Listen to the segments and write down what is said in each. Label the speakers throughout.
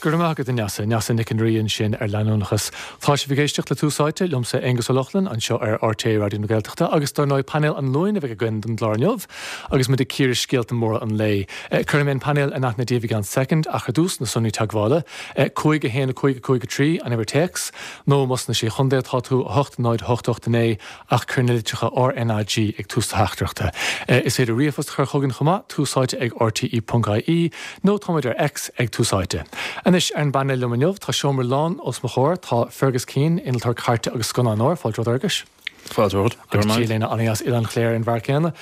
Speaker 1: Go raibh maith agat, a Neasa. Neasa Nic an Rí ansin ar leanúnachas. Tá sibh ag éisteacht le Tús Áite, liomsa Aengus Ó Lochlainn, anseo ar RTÉ Raidió na Gaeltachta agus dar ndóigh painéal an Luain a bheidh againn don gclár inniu agus muid ag cíoradh scéalta móra an lae. Cuirfidh mé an painéal in aithne daoibh i gceann soicind ach ar dtús, na sonraí teagmhála, 5 1 5 5 3, an uimhir téacs, nó más sna Sé Chontae atá tú, 8 0 8 8 9, ach cuir na litreacha RnaG ag tús do theachtaireachta. Is féidir ríomhphost a chur chugainn chomh maith, túsáite ag rte.ie, nó táimid ar X ag Tús Áite. Anois, ar an bpainéal liom inniu, tá seomra lán os mo chomhair, tá Fergus Keane, innealtóir cairte agus scannánóir, fáilte romhat a Fherguis.
Speaker 2: Fáilte romhat.
Speaker 1: Go raibh maith. Agus Léna an-dheas Oileán Chléire an bhfear céanna.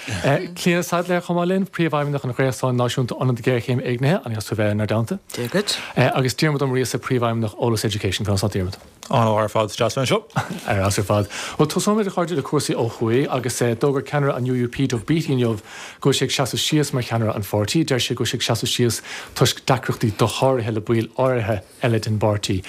Speaker 1: Clíona Saidléar chomh maith linn, Príomhfheidhmeannach an Ghréasáin Náisiúnta Ionad Géarchéim Éignithe, an-dheas tú a bheith inár dteannta.
Speaker 3: Dia dhuit.
Speaker 1: Agus Diarmuid Ó Muiríosa, Príomhfheidhmeannach Eolas Education. Conas tá Diarmuid?
Speaker 2: An-mhaith ar fad, is deas bheith anseo.
Speaker 1: Ar fheabhas ar fad. Bhuel, tosóimid, a chairde, le cúrsaí ó thuaidh agus d'fhógair ceannaire an UUP, Doug Beattie, inniu go bhfuil sé ag seasamh síos mar cheannaire an pháirtí. Deir sé go bhfuil sé ag seasamh síos toisc deacrachtaí dosháraithe le baill áirithe eile den bpáirtí.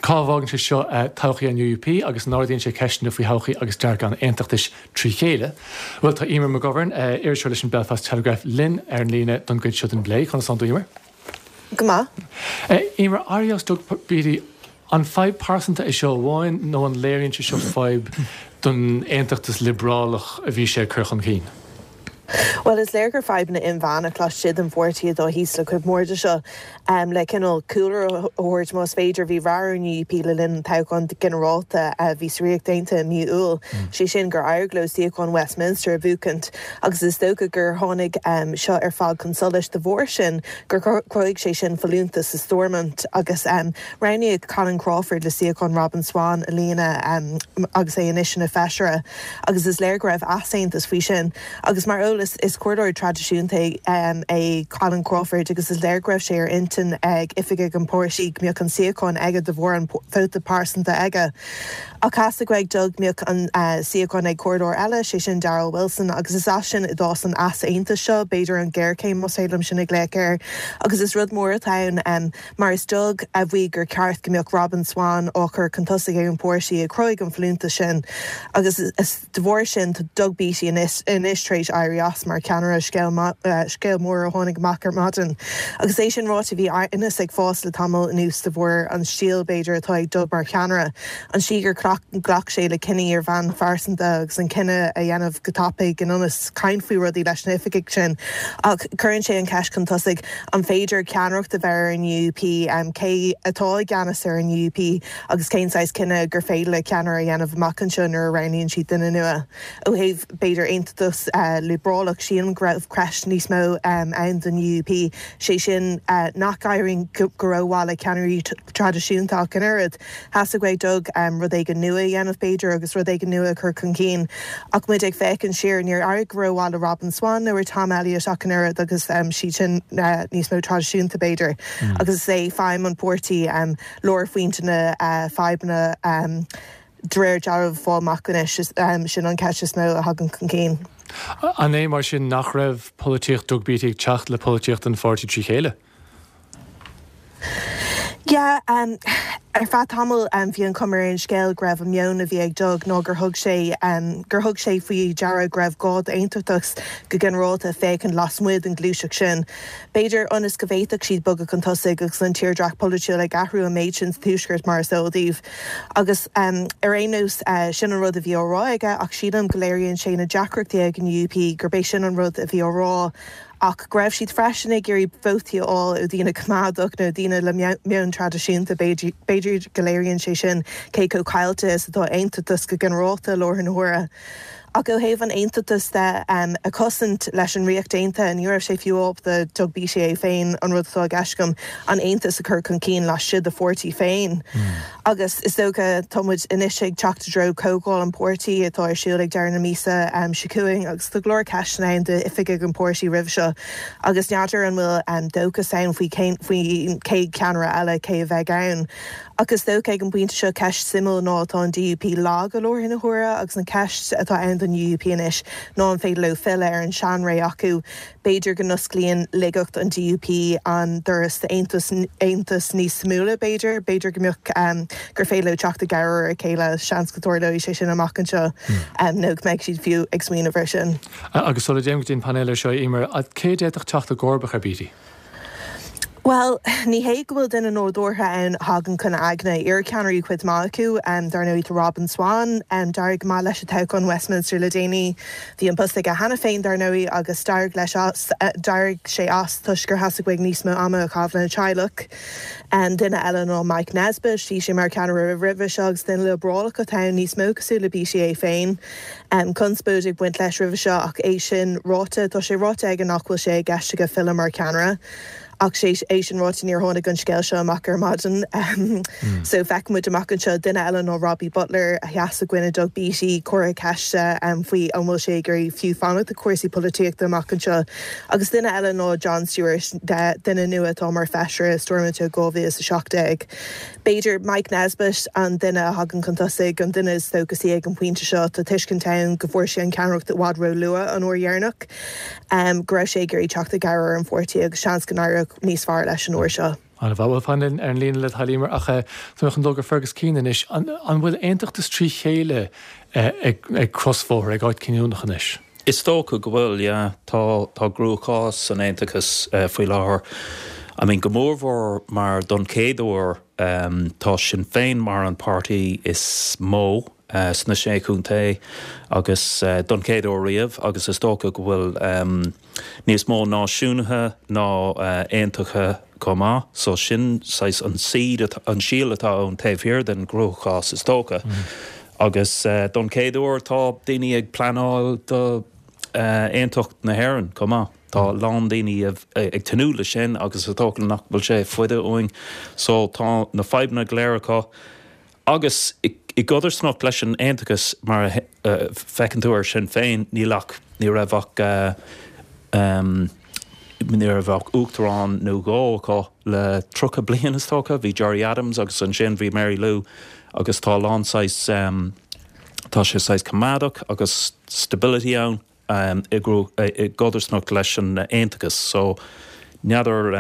Speaker 1: Cá bhfágann sé seo todhchaí an UUP agus an ardaíonn sé ceisteanna faoi thodhchaí agus dearcadh an aontachtais trí chéile? Bhuel, tá Eimear McGovern, iriseoir leis an Belfast Telegraph, linn ar an líne don gcuid seo den bplé. Conas tánn tú, Eimear?
Speaker 3: Go maith.
Speaker 1: Eimear, éirí as Doug Beattie, an fadhb pearsanta é seo amháin nó an léiríonn sé seo fadhb don aontachtas liobrálach a bhí sé ag cur chun cinn?
Speaker 3: Bhuel, is léir gur fadhbanna inmheánach laistigh den pháirtí atá thíos le cuid mhór de seo. Le cineál cúlra a thabhairt, más féidir, bhí rath ar an UUP le linn an toghcháin ghinearálta a bhí sa Ríocht Aontaithe i mí Iúil, sé sin gur éirigh leo suíochán Westminster a bhuachaint. Agus is dócha gur tháinig seo ar fad chun solais de bharr sin, gur chruthaigh sé sin folúntas sa Stormont agus roghnaíodh Colin Crawford le suíochán Robin Swann a líonadh agus é anois ina feisire agus is léir go raibh easaontas faoi sin. Agus mar eolas, is comhairleoir traidisiúnta é Colin Crawford agus is léir go raibh sé ar intinn ag oifigigh an pháirtí go mbeadh an suíochán aige de bharr an vóta pearsanta aige. Ach theastaigh uaidh Doug go mbeadh an suíochán ag comhairleoir eile, sé sin Darrell Wilson, agus is as sin a d'fhás an easaontas seo, b'fhéidir an ghéarchéim más féidir liom sin a ghlaoch air. Agus is rud mór atá ann, mar is Doug a mhaígh gur ceart go mbeadh Robin Swann á chur chun tosaigh ag an bpáirtí a chruthaigh an folúntas sin. Agus is de bharr sin tá Doug Beattie anois tar éis éirí as mar cheannaire, scéal mór a tháinig amach ar maidin. Agus é sin ráite, bhí aighneas ag fás le tamall anuas de bharr an stíl, b'fhéidir, atá ag Doug mar cheannaire, an tslí gur ghlac sé le cinní ar bhonn phearsanta agus an cinneadh a dhéanamh go tapaidh in ionas caint faoi rudaí leis na hoifigigh sin. Ach cuireann sé an cheist chun tosaigh, an féidir ceannaireacht a bheith ar an UUP? Cé atá i gceannas ar an UUP? Agus cén saghas cinneadh gur féidir le ceannaire a dhéanamh amach anseo nuair a roghnaíonn siad duine nua? Ó thaobh, b'fhéidir, aontachtas liobrálach, sílim go raibh ceist níos mó ann don UUP, sé sin nach éiríonn go rómhaith le ceannairí traidisiúnta ach an oiread. Theastaigh uaidh Doug rud éigin nua a dhéanamh, b'fhéidir, agus rud éigin nua a chur chun cinn. Ach muid ag féachaint siar, níor éirigh go rómhaith le Robin Swann nó ar Tom Elliott ach an oiread agus siad sin níos mó traidisiúnta, b'fhéidir. Agus is é feidhm an pháirtí lárphointe na fadhbanna de réir dealraimh a fháil amach anois. Sin an cheist is mó a thagann chun cinn.
Speaker 1: An é mar sin nach raibh polaitíocht Doug Beattie ag teacht le polaitíocht an pháirtí trí chéile?
Speaker 3: Yeah, ar feadh tamaill bhí an chuma ar an scéal go raibh an meon a bhí ag Doug ná gur thug sé gur thug sé faoi deara go raibh gá d'aontachtachas go ginearálta féachaint lasmuigh den ghluaiseacht sin. B'fhéidir ionas go bhféadfadh siad bogadh chun tosaigh agus an tírdhreach polaitiúil ag athrú an méid sin sa Tuaisceart mar is eol daoibh. Agus ar aon nós, sin an rud a bhí á rá aige ach sílim go léiríonn sé na deacrachtaí ag an UUP gurb é sin an rud a bhí á rá ach go raibh siad freisin ag iarraidh vótaí a fháil ó dhaoine coimeádach nó daoine le meon traidisiúnta. B'fhéidir go léiríonn sé sin cé chomh caillte is atá aontachtas go ginearálta i láthair na huaire. Ach ó thaobh an aontachtais de a chosaint leis an Ríocht Aontaithe, ní raibh sé fiú ábalta, Doug Beattie é féin, an rud atá i gceist agam, an aontas a chur chun cinn laistigh de pháirtí féin. Agus is dócha, tá muid anois ag teacht i dtreo comhdháil an pháirtí atá ar siúl ag deireadh na míosa seo chugainn agus tá go leor ceisteanna ann d'oifigigh an pháirtí roimhe seo agus n'fheadar an bhfuil dóchas ann faoi cén faoin chéad cheannaire eile, cé a bheidh ann. Ach is dócha ag an bpointe seo ceist suimiúil ná tá an DUP lag i láthair na huaire agus an ceist atá ann don UUP anois ná an féidir leo filleadh ar an seanré acu. B'fhéidir go n-osclaíonn laigeacht an DUP an doras d'aontas aontas níos suimiúla b'fhéidir. B'fhéidir go mbeadh gur féidir leo teacht i gcabhair ar a chéile. Seans go dtarlóidh sé sin amach anseo nó go mbeidh siad fiú ag smaoineamh air sin.
Speaker 1: Agus sula dtéim go dtí an painéal ar seo, Eimear, cé a d'fhéadfadh teacht i gcomharbacht ar Beattie?
Speaker 3: Bhuel, ní hé go bhfuil duine nádúrtha ann a thagann chun aigne. Iarcheannairí cuid mhaith acu. Dar ndóigh tá Robin Swann. D'éirigh go maith leis i toghchán Westminster le déanaí. Bhí an post aige cheana féin, dar ndóigh, agus d'éirigh leis as, d'éirigh sé as toisc gur theastaigh uaidh níos mó ama a chaitheamh lena theaghlach. Duine eile ná Mike Nesbitt. Bhí sé mar cheannaire roimhe seo agus duine liobrálach atá ann, níos mó cosúil le Beattie é féin. Conspóid ag baint leis roimhe seo ach é sin ráite, tá sé ráite aige nach bhfuil sé i gceist aige filleadh mar cheannaire. Ach é sin ráite níor tháinig an scéal seo amach ar maidin so feicfidh muid amach anseo. Duine eile ná Robbie Butler a sheas i gcoinne Doug Beattie, comhartha ceiste faoi an bhfuil sé ag iarraidh fiú fanacht i cúrsaí polaitíochta amach anseo. Agus duine eile ná John Stewart, duine nua atá mar feisire i Stormont ó 2017. B'fhéidir Mike Nesbitt an duine a thagann chun tosaigh, an duine is dóchasaí ag an bpointe seo. Tá tuiscint ann go bhfuair sé an cheannaireacht i bhfad ró-luath an uair dheireanach, go raibh sé ag iarraidh teacht i gcabhair ar an pháirtí agus seans go n-éireodh níos fearr leis an uair seo.
Speaker 1: An-mhaith. Bhuel, fan linn ar an líne le do thoil, Emer, ach tá mé chun dul go Fergus Keane anois. An bhfuil aontachtas trí chéile ag crosbhóthar, ag áit cinniúnach anois?
Speaker 2: Is dócha go bhfuil, yeah. Tá, tá cruachás san aontachas faoi láthair. I mean, go mórmhór mar don chéad uair tá Sinn Féin mar an páirtí is mó sna Sé Chontae agus don chéad uair riamh agus is dócha go bhfuil níos mó náisiúnaithe ná aontaithe chomh maith. So sin saghas an seed, an síol atá ann taobh thiar den gcruachás is dócha. Agus don chéad uair tá daoine ag pleanáil do aontacht na hÉireann chomh maith. Tá a lán daoine ag tnúth le sin agus is dócha nach bhfuil sé fada uainn. So tá na fadhbanna go léir acu. Agus i gcodarsnacht leis an aontachas mar a feiceann tú ar Sinn Féin níl ach, ní raibh ach, ní raibh ach uachtarán nó dhó acu le 30 bliain is dócha, bhí Gerry Adams agus ansin bhí Mary Lou agus tá a lán saghas, tá sé saghas coimeádach agus stability ann i gcodarsnacht leis an aontachas. So n'fheadar,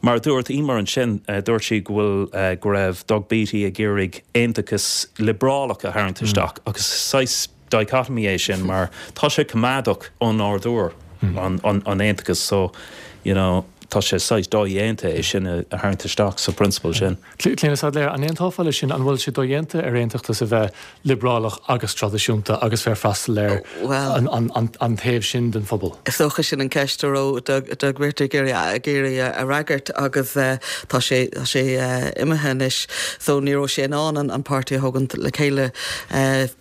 Speaker 2: mar a dúirt Emer ansin, dúirt sí go bhfuil, go raibh Doug Beattie ag iarraidh aontachas liobrálach a tharraingt isteach agus saghas dichotomy é sin mar tá sé coimeádach ó nádúr an aontachas so you know tá sé saghas dodhéanta é sin a tharraingt isteach sa prionsabal sin.
Speaker 1: Clíona Saidléar, an aontófá leis sin? An bhfuil sé dodhéanta ar aontachtas a bheith liobrálach agus traidisiúnta agus bheith ag freastal ar an taobh sin den phobal?
Speaker 4: Is dócha sin an ceist a raibh Doug Beattie ag iarraidh a fhreagairt agus tá sé imithe anois so ní raibh sé in ann an páirtí a thógaint le chéile.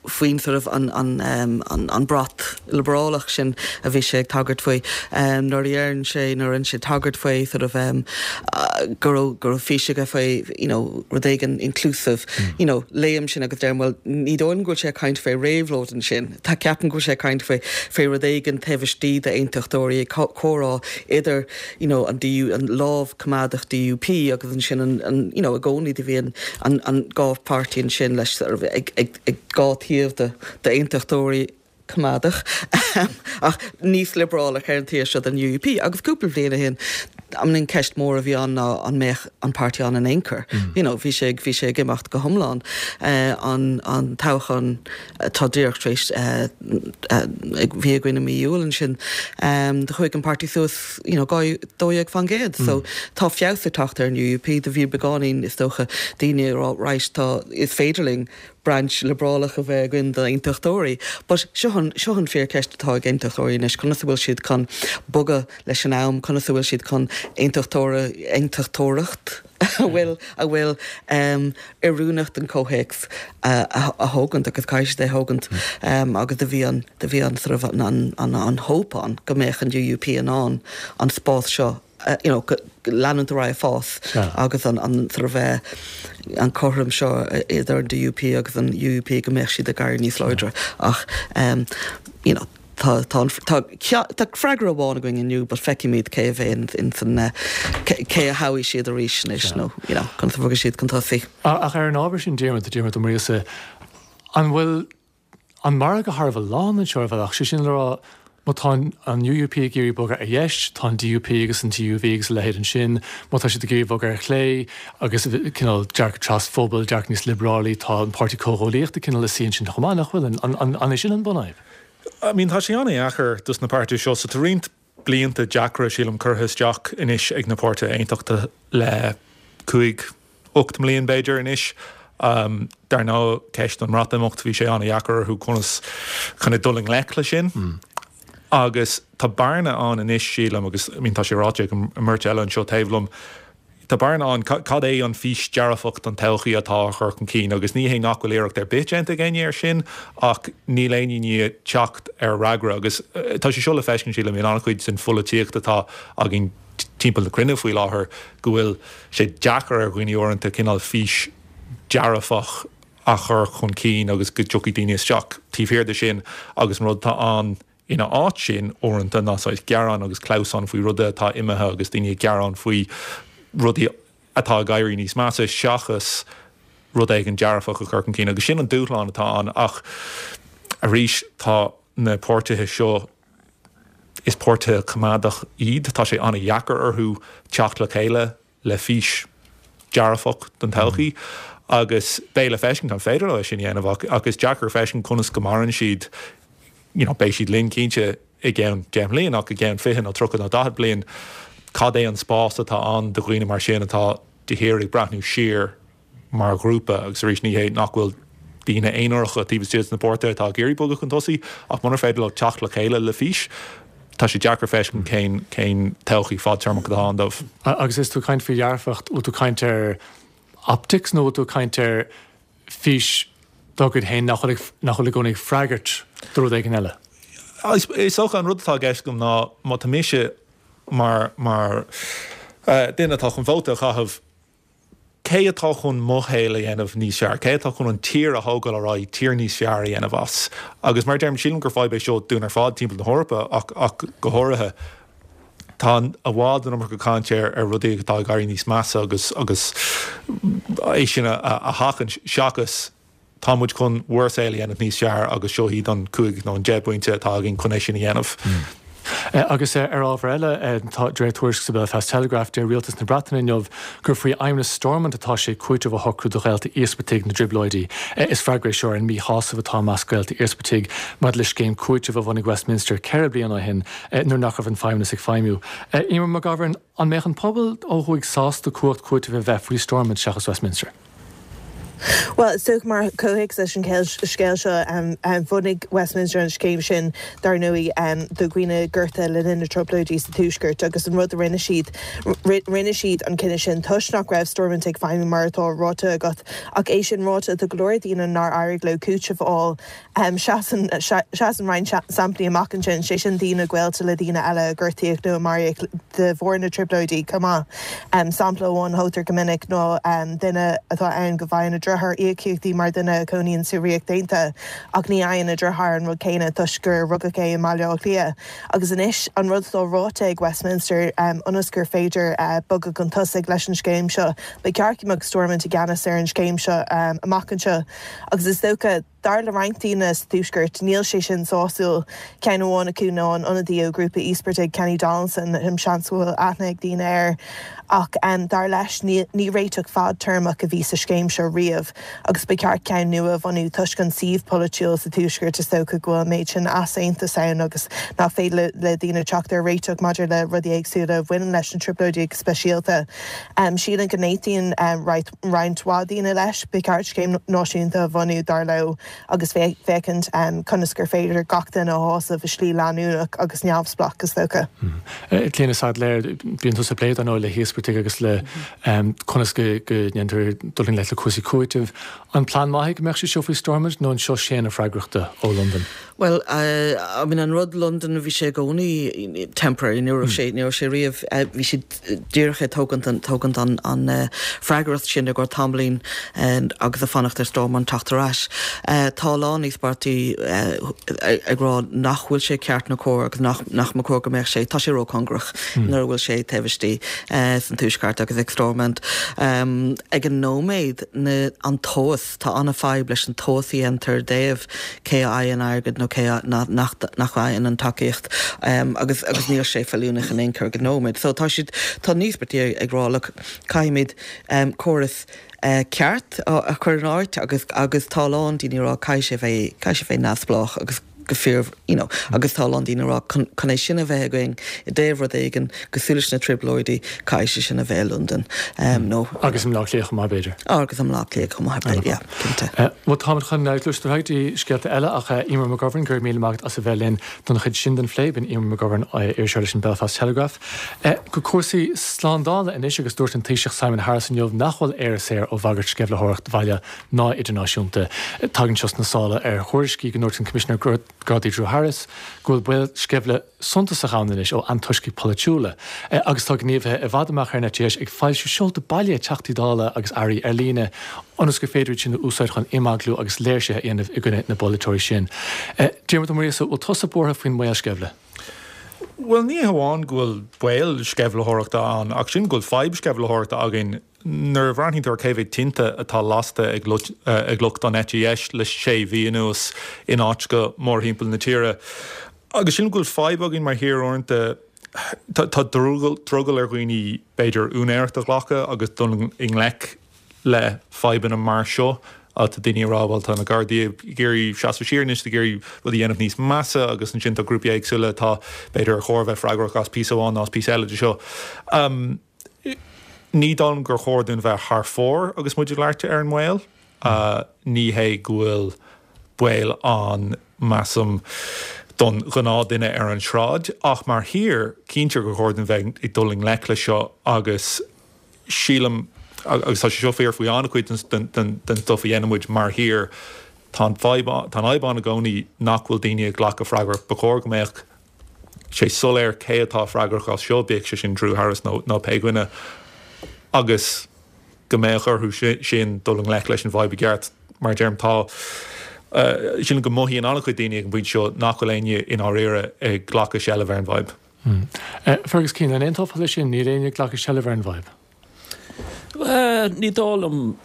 Speaker 4: faoin sort of an an an brat liobrálach sin a bhí sé ag tagairt faoi. Nuair a deireann sé, nuair a rinne sé tagairt faoi sort of go raibh go raibh fís aige faoi you know rud éigin inclusive, you know léim sin agus deirim bhuel ní dóigh liom go bhfuil sé ag caint faoi réabhlóid ansin, tá ceapaim go bhfuil sé ag caint faoi faoi rud éigin taobh istigh d'aontachtóirí ag comhrá idir you know an DU an lámh coimeádach DUP agus ansin an an you know i gcónaí do bhí an an an dhá pháirtí ansin leis sort of ag ag ag dhá taobh de d'aontachtóirí coimeádach ach níos liobrálach ar an taobh seo den UUP agus cúpla bliain ó shin I mean an ceist mór a bhí ann ná an mbeadh an páirtí ann in aon chor you know bhí sé bhí sé ag imeacht go hiomlán an an toghchán atá díreach tar éis bhí againn i mí Iúil ansin do chuaigh an páirtí suas you know, 12%. So tá feabhas ag teacht ar an UUP. Do bhí beagáinín, is dócha, daoine ag rá, right, tá, is féidir linn branch liobrálach a bheith againn d'aontachtóirí. But seo an, seo an fíorcheist atá ag aontachtóirí anois, conas a bhfuil siad chun bogadh leis an am, conas a bhfuil siad chun aontachtóra, aontachtóireacht a bhfuil, a bhfuil oiriúnach don chomhthéacs a thógaint agus caithfidh siad é a thógaint agus do bhí an, do bhí an sort of an, an, an hope ann go mbeadh an UUP in ann an spás seo you know leanúint ar aghaidh ag fás agus an, an sort of an cothrom seo idir an DUP agus an UUP go mbeadh siad ag éirí níos láidre ach you know Tá, tá, tá, tá freagra amháin againn inniu but feicfimid cé a bheidh in san, cé a thoghfaidh siad arís anois nó, you know, conas a bhogfaidh siad chun tosaigh.
Speaker 1: Ach ar an ábhar sin, Diarmuid, Diarmuid Ó Muiríosa, an bhfuil an margadh thar a bheith lán anseo ar bhealach, sé sin le rá, má tá an UUP ag iarraidh bogadh ar dheis, tá an DUP agus an TUV agus a leithéid ansin, má tá siad ag iarraidh bogadh ar chlé agus cineál dearcadh trasphobail, dearcadh níos liobrálaí, tá an Páirtí Comhghuaillíochta cineál ina suí ansin chomh maith, nach bhfuil? An é sin an bunfhadhb?
Speaker 5: I mean tá sé an-dheacair dos na páirtithe seo so tá roinnt. blianta deacra, sílim, curtha isteach anois ag na páirtithe aontachtaithe le 5, 8 mbliain b'fhéidir anois. Dar ndóigh, ceist an mBreatimeacht, bhí sé an-dheacair orthu conas kind of dul i ngleic le sin. Agus tá bearna ann anois, sílim, agus I mean tá sé ráite ag an mbeirt eile anseo taobh liom, tá bearna ann, cad é an fís dearfach don todhchaí atá á chur chun cinn? Agus ní hé nach bhfuil iarracht ar bith déanta ag éinne air sin, ach níl éinne i ndiaidh teacht ar fhreagra. Agus tá sé seo le feiscint, sílim, in an-chuid den pholaitíocht atá againn timpeall na cruinne faoi láthair, go bhfuil sé deacair ar dhaoine uaireanta cineál fís dearfach a chur chun cinn agus go dtiocfaidh daoine isteach taobh thiar de sin agus an rud atá ann ina áit sin uaireanta ná saghas gearán agus clamhsán faoi rudaí atá imithe agus daoine ag gearán faoi rudaí atá ag éirí níos measa seachas rud éigin dearfach a chur chun cinn agus sin an dúshlán atá ann ach arís tá na páirtithe seo is páirtithe coimeádach iad tá sé an-dheacair orthu teacht le chéile le fís dearfach don todhchaí agus beidh le feiscint an féidir leo é sin a dhéanamh ach ach is deacair feiscint conas go maireann siad you know beidh siad linn cinnte i gceann 10 mbliain ach i gceann 20 nó 30 nó 40 bliain cad é an spás atá ann do dhaoine mar sin atá de shíor ag breathnú siar mar ghrúpa agus arís ní hé nach bhfuil daoine aonaracha taobh istigh de na páirtithe atá ag iarraidh bogadh chun tosaigh ach munar féidir leo teacht le chéile le fís, tá sé deacair feiscint cén cén todhchaí fadtéarmach atá ann dóibh.
Speaker 1: Agus is tú ag caint faoi dhearfacht, bhfuil tú ag caint ar optics nó bhfuil tú ag caint ar fís dá gcuid féin nach bhfuil nach bhfuil i gcónaí ag freagairt do rud éigin eile?
Speaker 5: Is dócha an rud atá i gceist agam ná má tá mise mar mar duine atá chun vóta a chaitheamh, Cé atá chun mo shaol a dhéanamh níos fearr? Cé atá chun an tír a thógáil ar aghaidh, tír níos fearr a dhéanamh as? Agus mar a deirim, sílim gur fadhb é seo dúinn ar fad timpeall na hEorpa ach ach go háirithe. Tá i bhfad an iomarca caint ar ar rudaí atá ag éirí níos measa agus agus é sin a a sheachaint seachas Tá muid chun bhur saol a dhéanamh níos fearr agus seo iad an 5 nó an 10 bpointe atá againn chun é sin a dhéanamh.
Speaker 1: Agus ar ábhar eile, tá, de réir tuairisc sa Belfast Telegraph, deir Rialtas na Breataine inniu gur faoi Fheidhmeannas Stormont atá sé cúiteamh a shocrú do ghaolta íospartaigh na dTrioblóidí. Is freagra é seo ar an míshásamh atá i measc gaolta íospartaigh maidir le scéim cúitimh a bhunaigh Westminster 4 bliana ó shin nuair nach raibh an Feidhmeannas ag feidhmiú. Eimear McGovern, an mbeadh an pobal ó thuaidh sásta cumhacht cúitimh a bheith faoi Stormont seachas Westminster?
Speaker 3: Bhuel, is dócha mar chomhthéacs leis an scéal seo, bhunaigh Westminster an scéim sin, dar ndóigh, do dhaoine gortaithe le linn na dTrioblóidí sa Tuaisceart agus an rud a rinne siad, rinne siad an cinneadh sin toisc nach raibh Stormont ag feidhmiú mar atá ráite agat. Ach é sin ráite, tá go leor daoine nár éirigh leo cúiteamh a fháil. Seasann seasann roinnt samplaí amach ansin, sé sin daoine gaolta le daoine eile a gortaíodh nó a maraíodh de bharr na dTrioblóidí chomh maith. Sampla amháin a thógtar go minic ná duine atá ann go bhfaigheann a dheartháir íocaíochtaí mar dhuine a chónaíonn sa Ríocht Aontaithe ach ní fhaigheann a dheartháir an rud céanna toisc gur rugadh é i mBaile Átha Cliath. Agus anois an rud atá ráite ag Westminster ionas gur féidir bogadh chun tosaigh leis an scéim seo, ba cheart go mbeadh Stormont i gceannas ar an scéim seo amach anseo agus is dócha, Dar le roinnt daoine sa Tuaisceart, níl sé sin sásúil. Ceann amháin acu ná an ionadaí ó ghrúpa íospartaigh, Kenny Donaldson, seans go bhfuil aithne ag daoine air. Ach dar leis, ní réiteach fadtéarmach a bhí sa scéim seo riamh agus ba cheart ceann nua a bhunú toisc an suíomh polaitiúil sa Tuaisceart. Is dócha go bhfuil an méid sin easaontais ann agus nach féidir le daoine teacht ar réiteach maidir le rudaí éagsúla a bhaineann leis na Trioblóidí go speisialta. Sílim go n-aontaíonn roinnt mhaith daoine leis. Ba cheart scéim náisiúnta a bhunú, dar leo, agus féachaint conas gur féidir gach duine a shásamh i slí leanúnach agus neamhspleách, is dócha.
Speaker 1: Clíona Saidléar, bíonn tusa ag plé, dar ndóigh, le híospartaigh agus le conas go ndéantar dul i ngleic le cúrsaí cúitimh. An plean maith é go mbeadh sé seo faoi Stormont nó an seo séanadh freagrachta ó Londain?
Speaker 4: Bhuel, I mean an rud Londain bhí sé i gcónaí temporary, ní raibh sé, ní raibh sé riamh, bhí siad díreach ag tógaint an, tógaint an, an freagracht sin i gcomhair tamaillín agus ag fanacht ar Stormont teacht ar ais. Tá a lán íospartaigh ag rá nach bhfuil sé ceart nó cóir agus nach, nach mba chóir go mbeadh sé, tá sé róchóngarach nuair a bhfuil sé taobh istigh san Tuaisceart agus ag Stormont. Ag an nóiméad, na, an tomhas, Tá an-fhadhb leis an tomhas a dhéantar i dtaobh cé a fhaigheann airgead nó cé nach bhfaigheann an tacaíocht agus agus níl sé feiliúnach in aon chor ag an nóiméad. So tá siad, tá na híospartaigh ag rá look caithfimid córas ceart a chur in áit agus agus tá a lán daoine ag rá caithfidh sé bheith, caithfidh sé bheith neamhspleách agus. go fíor you know agus tá a lán daoine ag rá chun chun é sin a bheith againn i dtaobh rud éigin cosúil leis na Trioblóidí caithfidh sé sin a bheith i Londain nó
Speaker 1: Agus i mBleá Cliath chomh maith b'fhéidir.
Speaker 4: Agus i mBleá Cliath chomh maith b'fhéidir yeah cinnte.
Speaker 1: Bhuel táimid chun gluaiseacht ar aghaidh go dtí scéalta eile ach Eimear McGovern go raibh míle maith agat as a bheith linn don chuid sin den phlé. B'in Eimear McGovern, iriseoir leis an Belfast Telegraph. Go cúrsaí slándála anois agus dúirt an Taoiseach Simon Harris inniu nach bhfuil Éire saor ó bhagairt sceimhlitheoireacht bhaile ná idirnáisiúnta. Tagann seo sna sála ar thuairiscí go ndúirt an Coimisinéir Gardaí Drew Harris go bhfuil baol sceimhle suntasach ann anois ó antoiscigh pholaitiúla agus tá gníomhaithe i bhfad amach ar an eite dheis ag foilsiú seolta baile Teachtaí Dála agus Airí ar líne ionas gur féidir iad sin a úsáid chun imeaglú agus léirsithe a dhéanamh i gcoinne na bpolaiteoirí sin. Diarmuid Ó Muiríosa, bhfuil tusa buartha faoin mbaol sceimhle?
Speaker 5: Bhuel, ní hamháin go bhfuil baol sceimhlitheoireachta ann ach sílim go bhfuil fadhb sceimhlitheoireachta againn. Nuair a bhreathnaíonn tú ar cé mhéad tinte atá lasta ag lucht an eite dheis le sé mhí anuas in áiteacha mórthimpeall na tíre, agus sílim go bhfuil fadhb againn mar thír uaireanta, tá drogall ar dhaoine b'fhéidir úinéireacht a ghlacadh agus dul i ngleic le fadhbanna mar seo. Tá daoine ag rá bhuel tá na Gardaí ag iarraidh seasamh siar anois, ag iarraidh rud a dhéanamh níos measa agus ansin tá grúpaí éagsúla atá b'fhéidir ar chóir a bheith freagrach as píosa amháin nó as píosa eile de seo. Ní dóigh liom gur chóir dúinn bheith thar fóir agus muid ag labhairt ar an mbaol. Ní hé go bhfuil baol ann, measaim, don ghnáthduine ar an sráid, ach mar thír, cinnte gur chóir dúinn bheith ag dul i ngleic leis seo agus sílim, agus tá sé seo fíor faoi an-chuid den stuif a dhéanann muid mar thír, tá an fhadhb, tá an fhadhb ann i gcónaí nach bhfuil daoine ag glacadh freagracht. Ba chóir go mbeadh sé soiléir cé atá freagrach as seo, bíodh sé sin Drew Harris nó nó pé dhuine, agus go mbeadh orthu sin dul i ngleic leis an bhfadhb i gceart. Mar a deirim, tá, sílim go mothaíonn an-chuid daoine ag an bpointe seo nach bhfuil éinne i ndáiríre ag glacadh seilbh ar an bhfadhb.
Speaker 1: Fergus Keane, an aontófá leis sin? Níl éinne ag glacadh seilbh ar an bhfadhb?
Speaker 2: Ní dóigh liom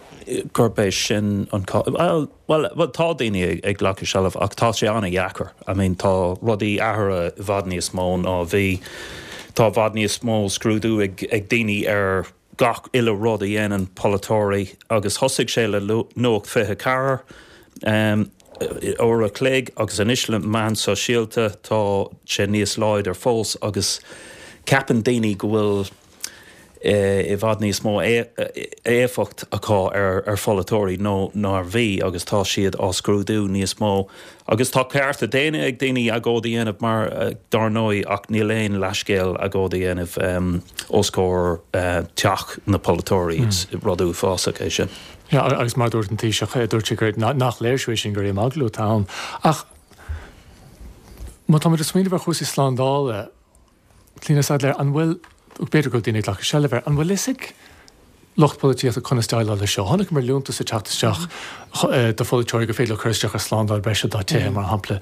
Speaker 2: gurb é sin an cás. Bhuel, bhuel, tá daoine ag glacadh seilbh ach tá sé an-dheacair. I mean, tá rudaí athraithe i bhfad níos mó ná a bhí. Tá i bhfad níos mó scrúdú ag daoine ar gach uile rud a dhéanann polaiteoirí agus thosaigh sé le Nuacht 24 uair a chloig agus anois le meáin sóisialta tá sé níos láidir fós agus ceapann daoine go bhfuil i bhfad níos mó éifeacht acu ar pholaiteoirí ná mar a bhí agus tá siad á scrúdú níos mó. Agus tá cearta daonna ag daoine agóid a dhéanamh mar, dár ndóigh, ach níl aon leithscéal agóid a dhéanamh os comhair teach na polaiteoirí. Is rud uafásach é sin.
Speaker 1: Yeah, agus mar a dúirt an Taoiseach, dúirt sé gur nach léirsiú é sin gur imeaglú atá ann. Ach má táimid ag smaoineamh ar chúrsaí slándála, Clíona Saidléar, an bhfuil, b'fhéidir go bhfuil daoine ag glacadh seilbh air, an bhfuil fhios ag lucht polaitíochta conas déileáil leis seo? Chonaiceamar liúntas ag teacht isteach do pholaiteoirí gur féidir leo cur isteach ar slándáil breise dá dtithe, mar shampla.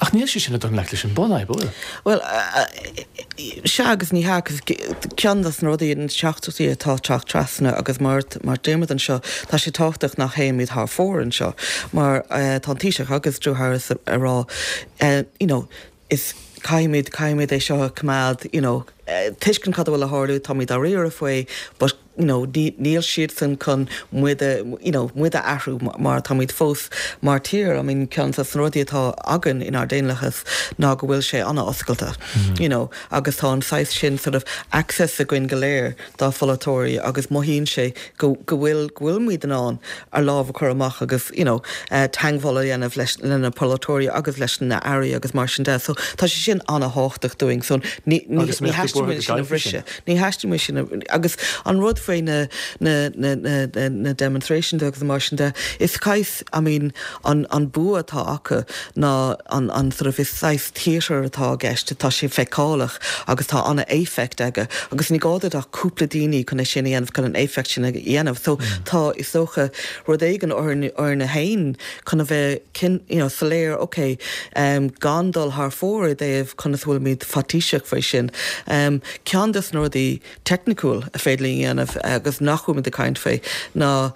Speaker 1: Ach níl sé sin ag dul i ngleic leis an bunfhadhb, an bhfuil?
Speaker 4: Bhuel, sea agus ní hea, agus ceann de na rudaí, na teachtaireachtaí atá ag teacht trasna agus mar mar deirimid anseo, tá sé tábhachtach nach théimid thar fóir anseo, mar tá an Taoiseach agus Drew Harris ag rá, you know, is caithfimid, caithfimid é seo a choimeád, you know, tuiscint cad a bhfuil ag tarlú, táimid dáiríre faoi, but, you know, ní, níl siadsan chun muid a, you know, muid a athrú mar táimid fós mar tír, I mean, ceann de na rudaí atá againn inár daonlathas ná go bhfuil sé an-oscailte, you know, agus tá an saghas sin sort of access againn go léir dá pholaiteoirí agus mothaíonn sé go, go bhfuil, go bhfuil muid in ann ár lámh a chur amach agus you know teagmháil a dhéanamh leis, le na polaiteoirí agus leis na airí agus mar sin de. So tá sé sin an-thábhachtach dúinn. So ní, ní,
Speaker 1: Agus
Speaker 4: ní
Speaker 1: mbeadh tú
Speaker 4: theastaíonn
Speaker 1: buartha
Speaker 4: uainn
Speaker 1: go
Speaker 4: sin a
Speaker 1: gcaillfí sin?
Speaker 4: bhriseadh. Ní theastaíonn uainn sin a, agus an rud faoi na, na, na, na, na, na demonstrations agus mar sin de, is saghas, I mean, an, an bua atá acu ná an, an sort of, is saghas theatre atá i gceist, tá sé feiceálach agus tá an-éifeacht aige agus ní gá duit ach cúpla daoine chun é sin a dhéanamh, chun an éifeacht sin a dhéanamh. So tá, is dócha, rud éigin orainn, orainne féin chun a bheith cin, you know, soiléir, ok, gan dul thar fóir i dtaobh conas a bhfuilimid faitíseach faoi sin. Ceann des na rudaí teicniciúil a féidir linn a dhéanamh agus nach bhfuilimid ag caint faoi ná.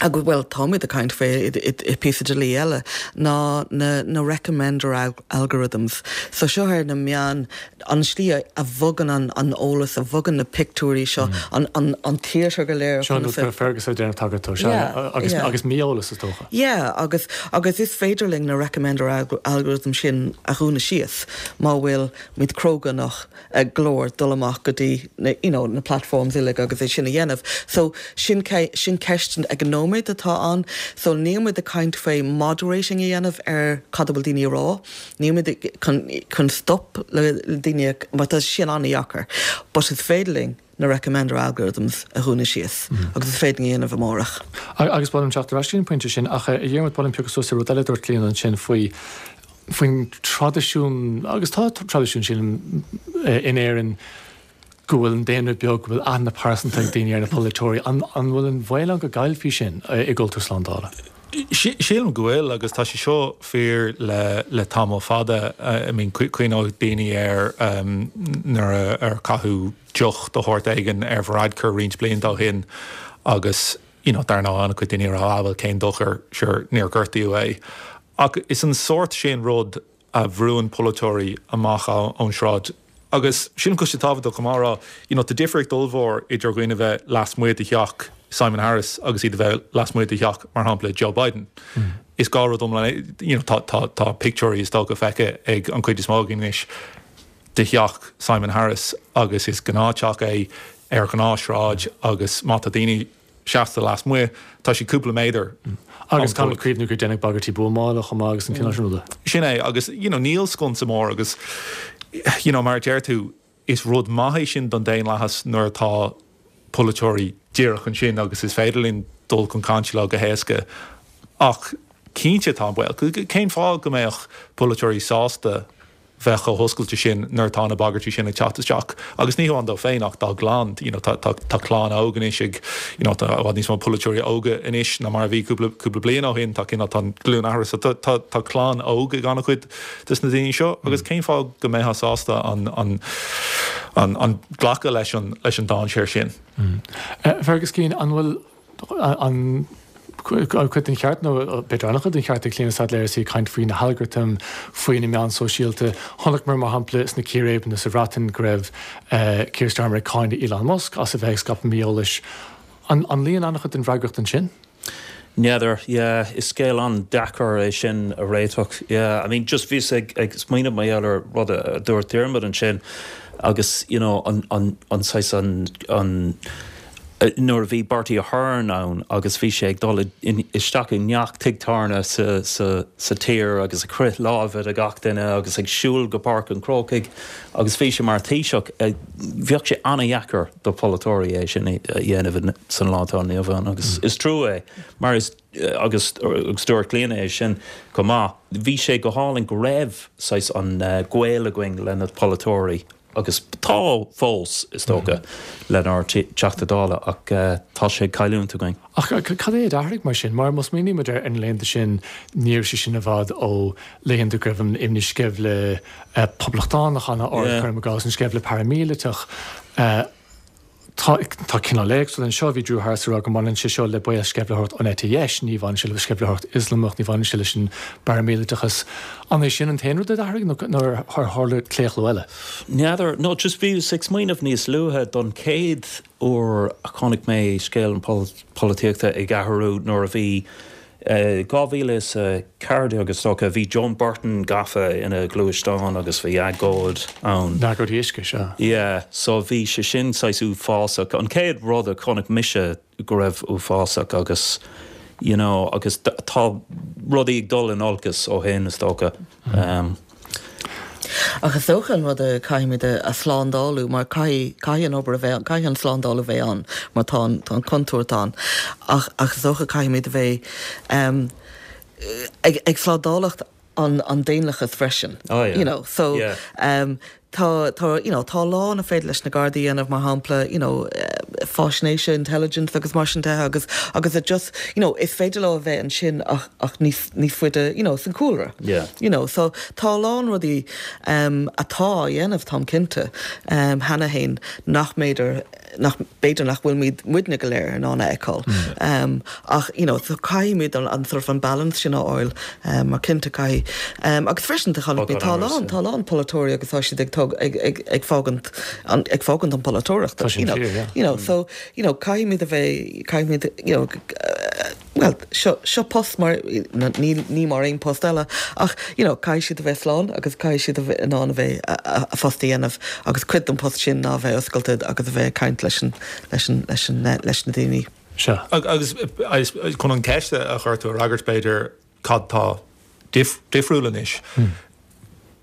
Speaker 4: Agus, bhuel, táimid ag caint faoi i píosa dlí eile, ná na na recommender algorithms. So seo ar na meáin, an slí a bhogann an an eolas, a bhogann na pictiúirí seo, an an an theatre go léir.
Speaker 1: Seo an rud go raibh Fergus ag déanamh tagairt dó, sea, agus agus mí-eolas is dócha.
Speaker 4: Yeah, agus agus is féidir linn na recommender algorithms sin a dhúnadh síos má bhfuil muid cróga enough. go leor dul amach go dtí na you know na platforms uilig agus é sin a dhéanamh. So sin sin ceist ag an nóiméad atá ann. So níl muid ag caint faoi moderating a dhéanamh ar cad a bhfuil daoine a rá. Níl muid chun chun stop le daoine mar tá sin an-dheacair. But is féidir linn na recommender algorithms a dhúnadh síos agus is féidir linn a dhéanamh amárach.
Speaker 1: Agus ba mhaith liom teacht ar ais go dtí an pointe sin ach a Dhiarmuid ba mhaith liom piocadh suas ar rud eile a dúirt Clíona ansin faoi faoin traidisiún, agus tá traidisiún sílim in Éirinn, go bhfuil an daonra beag, go bhfuil aithne pearsanta ag daoine ar na polaiteoirí. An bhfuil an bhaol ann go gcaillfí sin i gcultúr slándála?
Speaker 5: Sílim go bhfuil, agus tá sé seo fíor le le tamall fada. I mean, cuimhneoidh daoine ar nuair a caitheadh deoch de shórt éigin ar Varadkar roinnt blianta ó shin agus, you know, dar ndóigh, an-chuid daoine a rá, ah, bhuel, cén dochar, sure, níor gortaíodh é. Ach is an sórt sin rud a bhrúann polaiteoirí amach ón sráid. Agus sílim go bhfuil sé tábhachtach chomh maith a rá, you know, tá difríocht ollmhór idir dhaoine a bheith lasmuigh de theach Simon Harris agus iad a bheith lasmuigh de theach, mar shampla, Joe Biden. Is dhá rud iomlán, you know, tá, tá, tá pictiúirí is dócha feicthe ag an chuid is mó againn anois de theach Simon Harris agus is gnáth-teach é ar ghnáth-shráid agus má tá daoine seasta lasmuigh, tá siad cúpla méadar
Speaker 1: Agus caithfimid cuimhniú gur deineadh bagairtí buamála chomh maith agus an cineál sin ruda.
Speaker 5: Sin é, agus you know níl sconsa mór agus you know mar a deir tú, is rud maith é sin don daonlathas nuair atá polaiteoirí díreach ansin agus is féidir linn dul chun cainte leo go héasca ach cinnte tá an baol. Cén fáth go mbeadh polaiteoirí sásta bheith chomh hoscailte sin nuair atá na bagairtí sin ag teacht isteach agus ní hamháin dóibh féin ach dá gclann, you know tá tá tá clann óg anois ag you know tá i bhfad níos mó polaiteoirí óga anois ná mar a bhí cúpla cúpla bliain ó shin, tá cineál tá an glúin athraithe so tá tá tá clann óg ag an-chuid des na daoine seo agus cén fáth go mbeifeá sásta an an an an glacadh leis an leis an dainséar sin?
Speaker 1: Fergus Keane, an bhfuil an cuid den cheart, nó b'fhéidir an-chuid den cheart ag Clíona Saidléar is í ag caint faoi na halgartaim, faoi na meáin sóisialta. Chonaiceamar, mar shampla, sna círéibeanna sa Bhreatain go raibh Keir Starmer ag cáineadh Elon Musk as a bheith ag scaipeadh mí-eolais. An luíonn an-chuid den bhfreagracht ansin?
Speaker 2: N'fheadar, yeah, is scéal an-deacair é sin a réiteach, yeah. I mean, just bhíos ag smaoineamh mar gheall ar rud a dúirt Diarmuid ansin agus, you know, an, an, an saghas, an, an, nuair a bhí Bertie Ahern ann agus bhí sé ag dul isteach i ngach tigh tábhairne sa tír agus ag croith láimhe de gach duine agus ag siúl go Páirc an Chrócaigh agus bhí sé mar Thaoiseach, bheadh sé an-dheacair do pholaiteoirí é sin a dhéanamh san lá atá inniu ann agus is trua é mar is agus agus dúirt Clíona é sin chomh maith, bhí sé go hálainn go raibh saghas an gaol againn le na polaiteoirí. Agus tá fós, is dócha, lenár dTeachta Dála, ach tá sé ag cailliúint againn.
Speaker 1: Ach cad é a d'athraigh mar sin? Mar má smaoinímid ar na laethanta sin, ní raibh sé sin i bhfad ó laethanta go raibh an imní sceimhle poblachtánach an-ard, cuirim i gcás, an sceimhle paraimíleatach. Tá tá cineál éagsúil anseo. Bhí Drew Harris ag rá go mbaineann sé seo le baol sceimhlitheoireacht ón eite dheis, ní bhaineann sé le sceimhlitheoireacht Ioslamach, ní bhaineann sé leis an bparaimíleatachas. An é sin an t-aon rud a d'athraigh nó nó ar tharla claochlú eile?
Speaker 2: N'fheadar. No, just bhíos ag smaoineamh níos luaithe don chéad uair a chonaic mé scéal an polaitíochta ag athrú nuair a bhí 2014 is dócha, bhí Joan Burton gafa ina gluaisteán agus bhí agóid ann.
Speaker 1: Agóid uisce, sea.
Speaker 2: Yeah, so bhí sé sin saghas uafásach. An chéad rud a chonaic mise go raibh uafásach agus you know agus tá rudaí ag dul in olcas ó shin is dócha.
Speaker 4: Ach is dócha an rud a caithfimid a shlándáil mar caithfidh, caithfidh an obair a bheith, caithfidh an slándáil a bheith ann mar tá an, tá an contúirt ann. Ach, ach is dócha caithfimid a bheith ag, ag slándálacht an, an daonlathas freisin.
Speaker 2: Oh yeah.
Speaker 4: You know, so
Speaker 2: Yeah.
Speaker 4: Tá, tá, you know, tá a lán a féidir leis na Gardaí a dhéanamh, mar shampla, you know, faisnéise, intelligence agus mar sin de agus, agus a just, you know, is féidir leo a bheith ansin ach, ach níos, níos faide, you know, san cúlra.
Speaker 2: Yeah.
Speaker 4: You know, so tá a lán rudaí um, atá á dhéanamh, táim cinnte, um, cheana féin nach mb'fhéidir, nach, b'fhéidir nach bhfuilimid muidne go léir in ann a fheiceáil. Um, ach, you know, so caithfimid an, an sort of an balance sin a fháil, um, mar cinnte caithfidh. Um, agus freisin tá chonaic mé, tá a lán, tá a lán polaiteoirí agus tá siad ag tog, ag, ag, ag fágaint, an, ag fágaint an polaiteoireacht.
Speaker 1: Tá sin
Speaker 4: you know,
Speaker 1: fíor, yeah.
Speaker 4: You know, so, you know, caithfimid a bheith, caithfimid, you know, Bhuel, seo, seo post mar, ní, ní mar aon post eile, ach, you know, caithfidh siad a bheith slán agus caithfidh siad a bheith in ann a bheith, a, a phost a dhéanamh agus cuid den post sin ná a bheith oscailte agus a bheith ag caint leis an, leis an, leis an, leis na daoine.
Speaker 1: Sea.
Speaker 5: Agus, agus chun an ceist a chuir tú a fhreagairt, b'fhéidir, cad tá difriúil anois?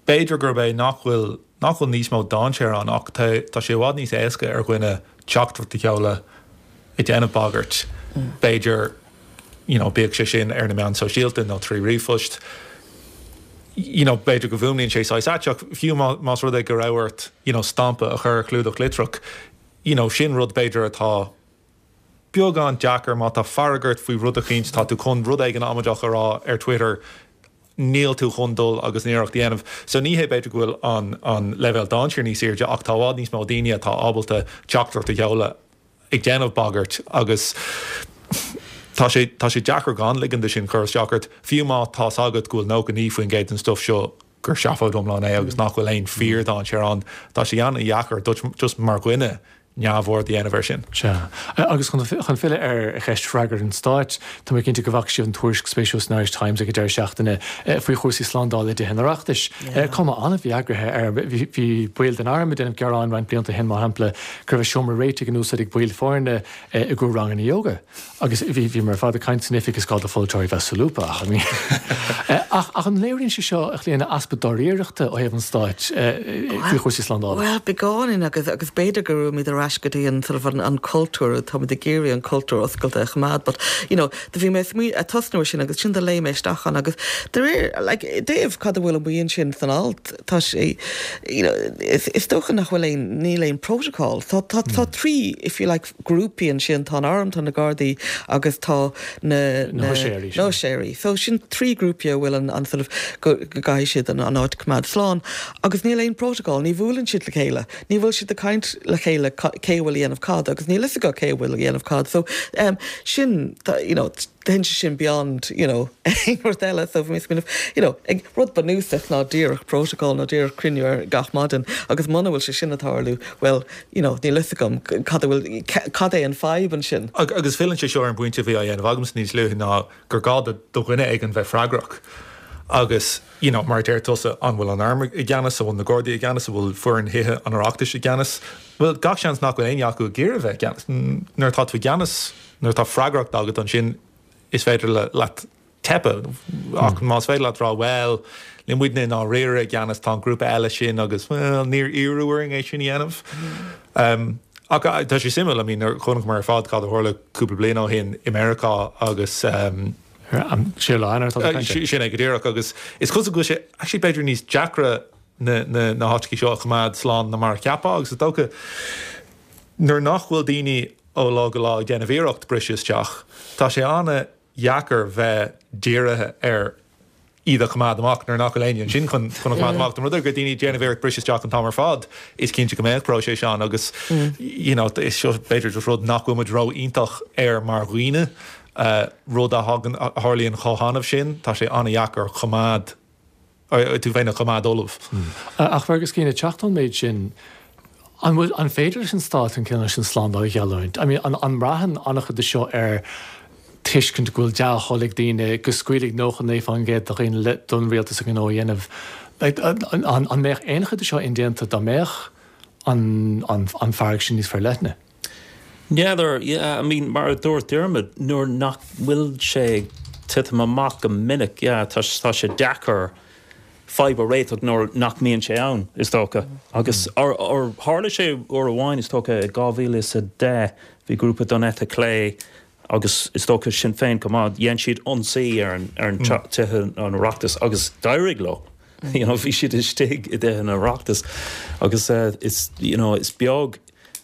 Speaker 5: B'fhéidir gurb é nach bhfuil, nach bhfuil níos mó dainséar ann ach tá, tá sé i bhfad níos éasca ar dhuine teachtaireacht a sheoladh ag déanamh bagairt, b'fhéidir, you know, bíodh sé sin ar na meáin sóisialta nó trí ríomhphost, you know, b'fhéidir go bhfuaimníonn sé saghas ait ach fiú má, más rud é go raibh ort, you know, stampa a chur ar chlúdach litreach, you know, sin rud b'fhéidir atá beagán deacair má tá fearg ort faoi rud eicínt, tá tú chun rud éigin amaideach a rá ar Twitter, níl tú chun dul agus an iarracht a dhéanamh. So ní hé b'fhéidir go bhfuil an an leibhéal dainséir níos airde ach tá i bhfad níos mó daoine atá ábalta teachtaireacht a sheoladh ag déanamh bagairt agus tá sé tá sé deacair gan ligean de sin cur isteach ort, fiú má tá's agat go bhfuil 99% den stuff seo gur seafóid iomlán é agus nach bhfuil aon fíor-dainséar ann. Tá sé an-dheacair duit just mar dhuine neamhaird a dhéanamh air sin.
Speaker 1: Sea. Agus chun filleadh ar cheist freagracht an Stáit, tá mé cinnte go bhfaca sibh an tuairisc spéisiúil san Irish Times ag an deireadh seachtaine faoi chúrsaí slándála i dTithe an Oireachtais. Cuma an-mhí-eagraithe air. Bhí baill den arm ag déanamh gearáin roinnt blianta ó shin, mar shampla, go raibh a seomra réitigh in úsáid ag baill foirne i gcomhair ranganna ióga. Agus bhí, bhíomar ar fad ag caint san oifig is gá do pholaiteoirí bheith solúbtha ach, I mean. Ach, ach an léiríonn sé seo, a Chlíona, easpa dáiríreachta ó thaobh an stáit faoi chúrsaí slándála?
Speaker 4: Bhuel, beagáinín agus, agus b'fhéidir go raibhimid ar ais go dtí an sort of an, an cultúr, táimid ag iarraidh an cultúr oscailte a choimeád but, you know, do bhí mé ag smaoineamh, ag tosnú ar sin agus ansin do léigh mé isteach ann agus de réir, like, i dtaobh cad a bhfuil amuigh ansin san alt, tá sé, you know, is, is dócha nach bhfuil aon, níl aon protocol. Tá, tá, tá trí, if you like, grúpaí ansin, tá an arm, tá na Gardaí agus tá na
Speaker 1: na
Speaker 4: na huiséirí. So sin trí grúpaí a bhfuil an an sort of go go gcaithfidh siad an an áit a choimeád slán agus níl aon protocol, ní bhuaileann siad le chéile, ní bhfuil siad ag caint le chéile cé a bhfuil a dhéanamh cad agus níl fhios acu cé a bhfuil a dhéanamh cad. So um sin you know téann sé sin beyond you know aon rud eile so bhí mé ag smaoineamh you know ag rud bunúsach ná díreach protocol nó díreach cruinniú ar gach maidin agus muna bhfuil sé sin ag tarlú well you know, níl fhios agam cad a bhfuil, cad é an fadhb
Speaker 5: ansin. Agus filleann sé seo ar an bpointe a bhí á dhéanamh agamsa níos luaithe ná gur gá do dhuine éigin bheith freagrach agus, you know, mar a deir tusa, an bhfuil an arm i gceannas, an bhfuil na Gardaí i gceannas, an bhfuil foireann Thithe an Oireachtais i gceannas? Bhuel, gach seans nach bhfuil éinne acu ag iarraidh bheith i gceannas. Nuair atá tú i gceannas, nuair atá freagracht agat ansin is féidir leat teipeadh. Ach más féidir leat rá, bhuel, níl muidne i ndáiríre i gceannas, tá an grúpa eile sin agus, bhuel, níor iarradh orainn é sin a dhéanamh. Ach tá sé suimiúil, I mean, chonaiceamar ar fad cad a tharla cúpla bliain ó shin i Meiriceá agus.
Speaker 1: An séú lá Eanáir atá tú ag caint air.
Speaker 5: Sin é go díreach agus is cosúil go bhfuil sé actually b'fhéidir níos deacra na na háiteacha seo a choimeád slán ná mar a cheapfá agus is dócha nuair nach bhfuil daoine ó lá go lá ag déanamh iarracht briseadh isteach, tá sé ana dheacair bheith dírithe ar iad a choimeád amach nuair nach bhfuil éinne ansin chun chun a choimeád amach. Dá mba rud é go raibh daoine ag déanamh iarracht briseadh isteach an t-am ar fad, is cinnte go mbeadh próiseas ann agus you know is seo b'fhéidir just rud nach bhfuil muid ró-iontach air mar dhaoine, rud a thagann a tharlaíonn chomh hannamh sin, tá sé an-dheacair choimeád tú féin a choimeád ullamh.
Speaker 1: Ach Fergus Keane, ag teacht ón méid sin, an bhfuil, an féidir leis an stát an cineál sin slándáil a gheallúint? I mean, an, an mbraitheann an-chuid de seo ar tuiscint go bhfuil dea-thoil ag daoine, go scaoilfidh 99% de dhaoine le, don rialtas a ngnó a dhéanamh? Like, an, an, an mbeadh aon chuid de seo indéanta dá mbeadh an, an, an fearg sin níos forleithne?
Speaker 2: N'fheadar, yeah, I mean, mar a dúirt Diarmuid, nuair nach bhfuil sé ag titim amach go minic, yeah, tá, tá sé deacair fadhb a réiteach nuair nach mbíonn sé ann, is dócha. Agus, or, or, tharla sé uair amháin, is dócha, i 2010, bhí grúpa don eite chlé agus is dócha Sinn Féin chomh maith, dhein siad ionsaí ar an, ar an tithe an Oireachtas agus d'éirigh leo. You know, bhí siad istigh i dTithe an Oireachtais agus is, you know, is beag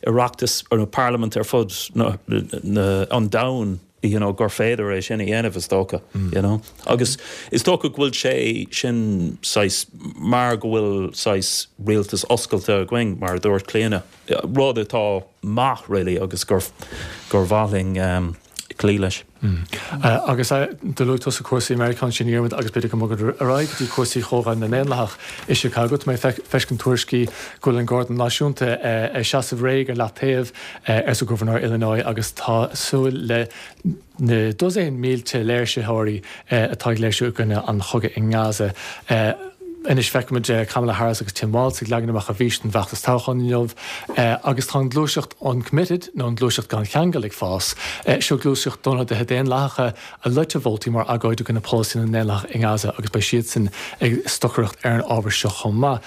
Speaker 2: Oireachtas nó parlaimint ar fud na, na, an domhain, you know, gur féidir é sin a dhéanamh, is dócha, you know. Agus is dócha go bhfuil sé sin saghas, mar go bhfuil saghas rialtas oscailte againn, mar a dúirt Clíona, rud atá maith really agus gur, gur mhaith linn cloí leis.
Speaker 1: Agus do luaigh tusa cúrsaí i Meiriceá ansin, a Dhiarmuid, agus b'fhéidir go mbogfaimid ar aghaidh go dtí cúrsaí Chomhdháil na nDaonlathach i Chicago. Tá mé ag feiscint tuairiscí go bhfuil an Garda Náisiúnta ag seasamh réidh ar leataobh, arsa Gobharnóir Illinois, agus tá súil le na dosaen mílte léirsitheoirí atá ag léirsiú i gcoinne an chogaidh i nGaza. Anois feicimid Kamala Harris agus Tim Walz ag leagan amach a bhfís don bhfeachtas toghcháin inniu agus tá an ghluaiseacht Uncommitted, nó an ghluaiseacht gan cheangal, ag fás. Seo gluaiseacht d'ionadaithe Daonlathacha a loiteadh vótaí mar agóid i gcoinne polasaí na nDaonlathach i nGaza agus beidh siadsan ag stocaireacht ar an ábhar seo chomh maith.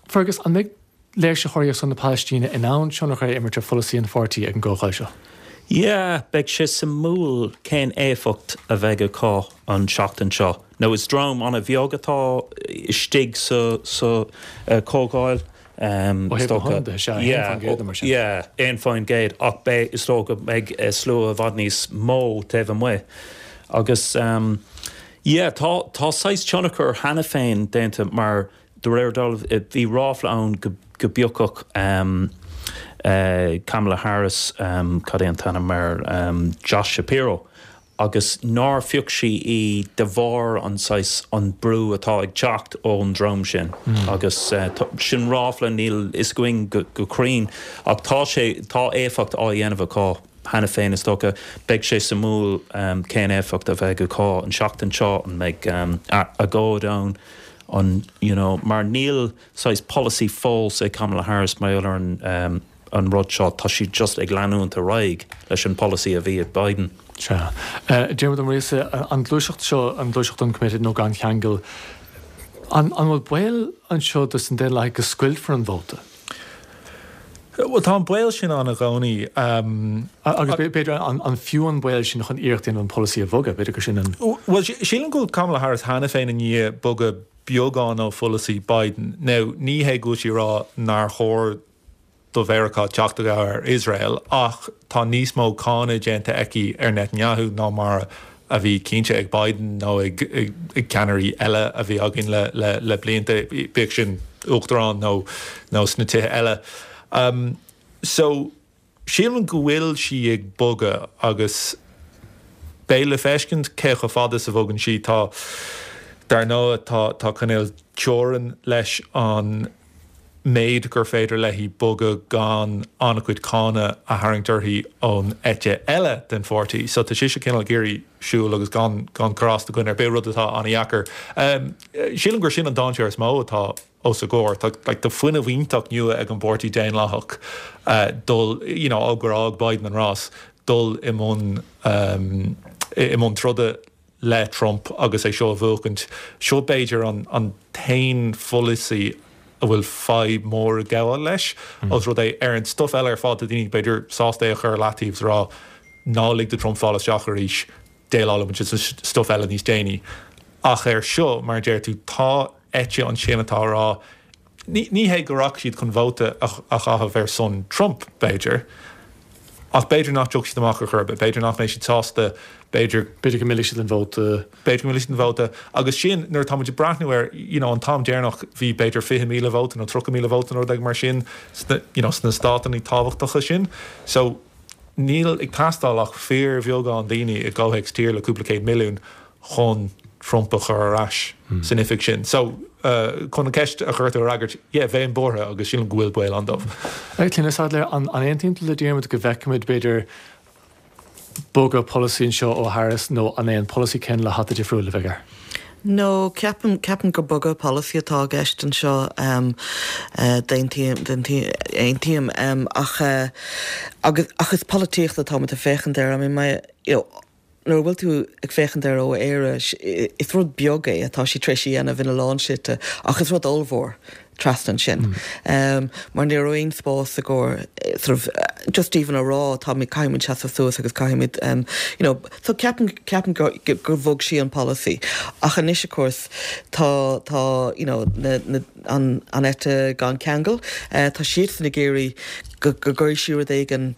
Speaker 1: Fergus, an mbeidh léirsitheoirí ar son na Palaistíne in ann tionchar a imirt ar pholasaí an pháirtí ag an gcomhdháil seo?
Speaker 2: Yeah, beidh sé suimiúil cén éifeacht a bheidh acu an tseachtain seo. Now is dream an-bheag atá istigh sa sa chomhdháil.
Speaker 1: Ó thaobh na hionadaithe, sea, 1% nó mar sin.
Speaker 2: Yeah, 1% ach beidh, is dócha go mbeidh slua i bhfad níos mó taobh amuigh. Agus yeah, tá tá saghas tionchar cheana féin déanta mar de réir dealraimh bhí ráfla ann go go bpiocfadh Kamala Harris, cad é an t-ainm air, Josh Shapiro. agus nár phioc sí í de bharr an saghas, an brú atá ag teacht ón dream sin agus sin ráfla, níl fhios againn go cruinn ach tá sé, tá éifeacht á dhéanamh acu cheana féin is dócha. Beidh sé suimiúil cén éifeacht a bheidh acu an seachtain seo, an mbeidh agóid ann, an, you know, mar níl saghas polasaí fós ag Kamala Harris mar gheall ar an an rud seo, tá sí just ag leanúint ar aghaidh leis an polasaí a bhí ag Biden.
Speaker 1: Sea. Diarmuid Ó Muiríosa, an ghluaiseacht seo, an ghluaiseacht Uncommitted nó gan cheangal, an bhfuil baol anseo dos na Daonlathaigh go scoiltfear an vóta?
Speaker 5: Bhuel, tá an baol sin ann i gcónaí.
Speaker 1: Agus b'fhéidir, an fiú an baol sin chun iarracht a dhéanamh an polasaí a bhogadh? B'fhéidir gur sin an.
Speaker 5: Bhuel, sílim go bhfuil Kamala Harris cheana féin i ndiaidh bogadh beagán ó pholasaí Biden. Now, ní hé go bhfuil sí ag rá nár chóir do Mheiriceá teacht i gcabhair ar Iosrael, ach tá níos mó cáineadh déanta aici ar Netanyahu ná mar a bhí cinnte ag Biden nó ag ceannairí eile a bhí againn le blianta, bíodh sin uachtarán nó nó sna tithe eile. So, sílim go bhfuil sí ag bogadh agus beidh le feiscint cé chomh fada is a bhogann sí. Tá, dar ndóigh, tá tá cineál teorainn leis an méid gur féidir léi bogadh gan an-chuid cáineadh a tharraingt uirthi ón eite eile den pháirtí. So tá sise cineál ag iarraidh siúl agus gan gan cur as do dhuine ar bith, rud atá an-dheacair. Sílim gur sin an dainséar is mó atá os a gcomhair. Tá like tá fuinneamh iontach nua ag an bPáirtí Daonlathach dul you know ó gur fhág Biden an rás, dul i mbun i mbun troda le Trump agus é seo a bhuachaint. Seo b'fhéidir an an t-aon pholasaí a bhfuil fadhb mhór ag gabháil leis, os rud é ar an stuif eile ar fad tá daoine b'fhéidir sásta é a chur ar leataobh is a rá ná lig do Trump fáil isteach arís, déileálfaidh muid leis an stuif eile níos déanaí. Ach ar seo, mar a deir tú, tá eite ansin atá a rá Ní ní hé go rachaidh siad chun vóta a chaitheamh ar son Trump, b'fhéidir, ach b'fhéidir nach dtiocfaidh siad amach ar chor ar bith, b'fhéidir nach mbeidh siad sásta, b'fhéidir.
Speaker 1: B'fhéidir go millfidh siad an vóta.
Speaker 5: B'fhéidir go millfidh siad an vóta. Agus sin, nuair atá muid ag breathnú ar, you know, an t-am deireanach, bhí b'fhéidir 20,000 vóta nó 30,000 vóta nó rud éigin mar sin sna, you know, sna státanna tábhachtacha sin. So, níl ag teastáil ach fíorbheagán daoine i gcomhthéacs tír le cúpla céad milliún chun Trump a chur ar ais san oifig sin. So, chun an ceist a chuir tú a fhreagairt, yeah, bheinn buartha agus sílim go bhfuil baol ann dóibh.
Speaker 1: Clíona Saidléar, an aontaíonn tú le Diarmuid go bhfeicfimid, b'fhéidir, bogadh polasaí anseo ó Harris nó an é an polasaí céanna le hata difriúil a bheidh air?
Speaker 4: No, ceapaim, ceapaim gur bogadh polasaí atá i gceist anseo. D'aontaím, aontaím. Ach, agus, ach is polaitíocht atáimid ag féachaint air. I mean, my, you know, nuair a bhfuil tú ag féachaint air ó Éire, is rud beag é atá sí tar éis a dhéanamh ina lán slite, ach is rud ollmhór. trasna ansin. Mar ní raibh aon spás i gcomhair sort of just even a rá táimid, caithfimid seasamh suas agus caithfimid you know so ceapaim, ceapaim gur, gur bhog sí an polasaí. Ach anois of course tá, tá you know na, na, an, an eite gan ceangal, tá siadsan ag iarraidh go, go gcuirfidh sí rud éigin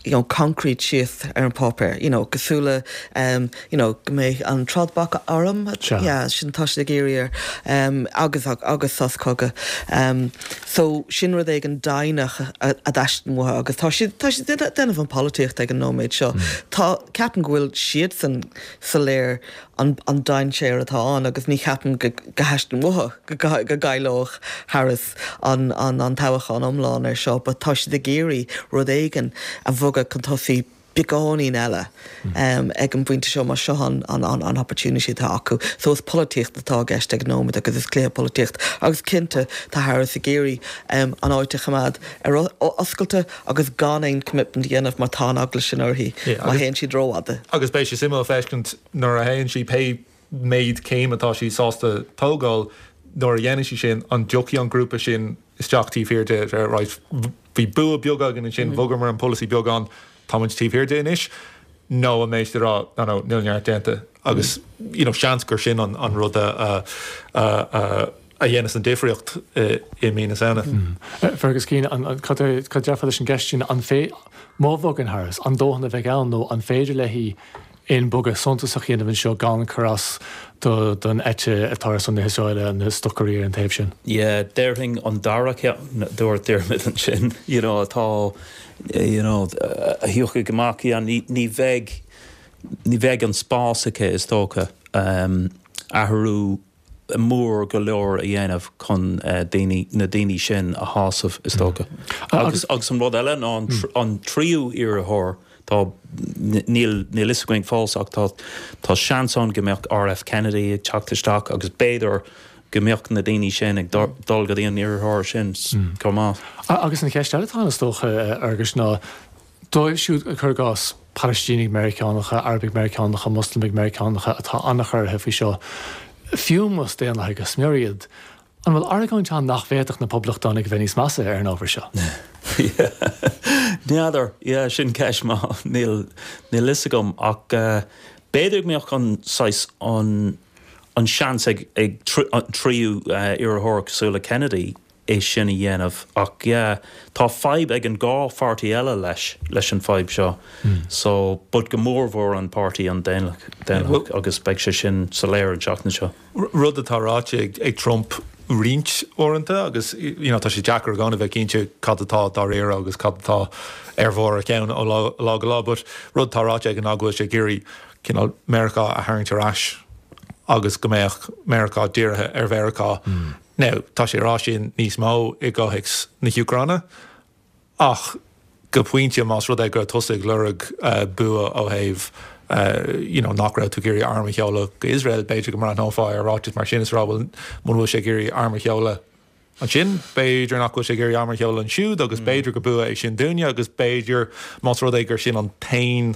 Speaker 4: you know concrete síos ar an páipéar, you know cosúil le um you know go mbeidh an trádbhac arm, yeah sin tá siad ag iarraidh air um agus agus sos cogaidh um so sin rud éigin deimhneach a a dteastaíonn uathu agus tá siad tá siad ag déanamh an polaitíocht ag an nóiméad seo. Tá ceapaim go bhfuil siadsan soiléir an an dainséar atá ann agus ní cheapaim go go dteastaíonn uathu go go gcaillfeadh Harris an an an toghchán iomlán ar seo but tá siad ag iarraidh rud éigin a bhogadh chun tosaigh beagáinín eile ag an bpointe seo mar seo an an an an opportunity atá acu. So is polaitíocht atá i gceist ag an nóiméad agus is cluiche polaitíocht agus cinnte tá Harris ag iarraidh an áit a choimeád ar oscailte agus gan aon commitment a dhéanamh mar tá an eagla sin uirthi má théann siad rófhada.
Speaker 5: Agus beidh sé suimiúil feiscint nuair a théann sí, pé méid céim atá sí sásta tógáil, nuair a dhéanann sí sin, an dtiocfaidh an grúpa sin isteach taobh thiar di, right, bhí bua beag againn ansin, bhogamar an polasaí beagán, tá muid taobh thiar di anois, nó an mbeidh siad ag rá, no, no, níl neart déanta agus, you know, seans gur sin an rud a, a, a, a dhéanas an difríocht i mí na Samhna.
Speaker 1: Fergus Keane, cad a déarfá leis an gceist sin, an fé, má bhogann Harris, an dóthain a bheidh ann nó an féidir léi aon bogadh suntasach a dhéanamh anseo gan cur as don eite atá ar son na hIosraeile, na stocairí ar an taobh sin?
Speaker 2: Yeah, déarfainn an dara ceann a dúirt Diarmuid ansin, you know, atá, you know, a thiocfaidh amach, yeah, ní, ní bheidh, ní bheidh an spás aici is dócha, athrú mór go leor a dhéanamh chun daoine, na daoine sin a shásamh, is dócha. Agus, agus an rud eile ná an, an tríú iarrthóir, tá, níl, níl fhios againn fós ach tá, tá seans ann go mbeadh R.F. Kennedy ag teacht isteach agus b'fhéidir go mbeadh na daoine sin ag dul go dtí an iarrthóir sin chomh maith.
Speaker 1: Agus an cheist eile atá ann is dócha, a Fhearghuis, ná Dóibh siúd, cuir i gcás, Palaistínigh Meiriceánacha, Arabaigh Meiriceánacha, Moslamaigh Meiriceánacha atá an-chorraithe faoi seo, fiú más Daonlathaigh go smior iad, an bhfuil argóint ann nach bhféadfadh na Poblachtánaigh a bheith níos measa ar an ábhar seo?
Speaker 2: N'fheadar. Yeah, sin ceist maith. Níl, níl fhios agam ach b'fhéidir go mbeadh an saghas, an, an seans ag, ag an tríú iarrthóir cosúil le Kennedy é sin a dhéanamh ach yeah tá fadhb ag an dhá pháirtí eile leis, leis an fadhb seo so but go mór mhór an páirtí an Daonlathach agus beidh sé sin soiléir an tseachtain seo.
Speaker 5: Rud atá ráite ag Trump roinnt uaireanta agus you know tá sé deacair i gcónaí bheith cinnte cad atá dáiríre agus cad atá ar bharr a cheann ó lá go lá but rud atá ráite aige ná go bhfuil sé ag iarraidh cineál Meiriceá a tharraingt ar ais agus go mbeadh Meiriceá dírithe ar Mheiriceá. Now, tá sé ag rá sin níos mó i gcomhthéacs na hÚcráine, ach go pointe, más rud é go raibh tusa ag lorg bua ó thaobh you know nach raibh tú ag iarraidh arm a sheoladh go Iosrael, b'fhéidir go mbreathnófá ar ráiteas mar sin is rá bhuel, muna bhfuil sé ag iarraidh arm a sheoladh ansin, b'fhéidir nach bhfuil sé ag iarraidh arm a sheoladh ansiúd agus b'fhéidir gur bua é sin dúinne agus b'fhéidir más rud é gur sin an t-aon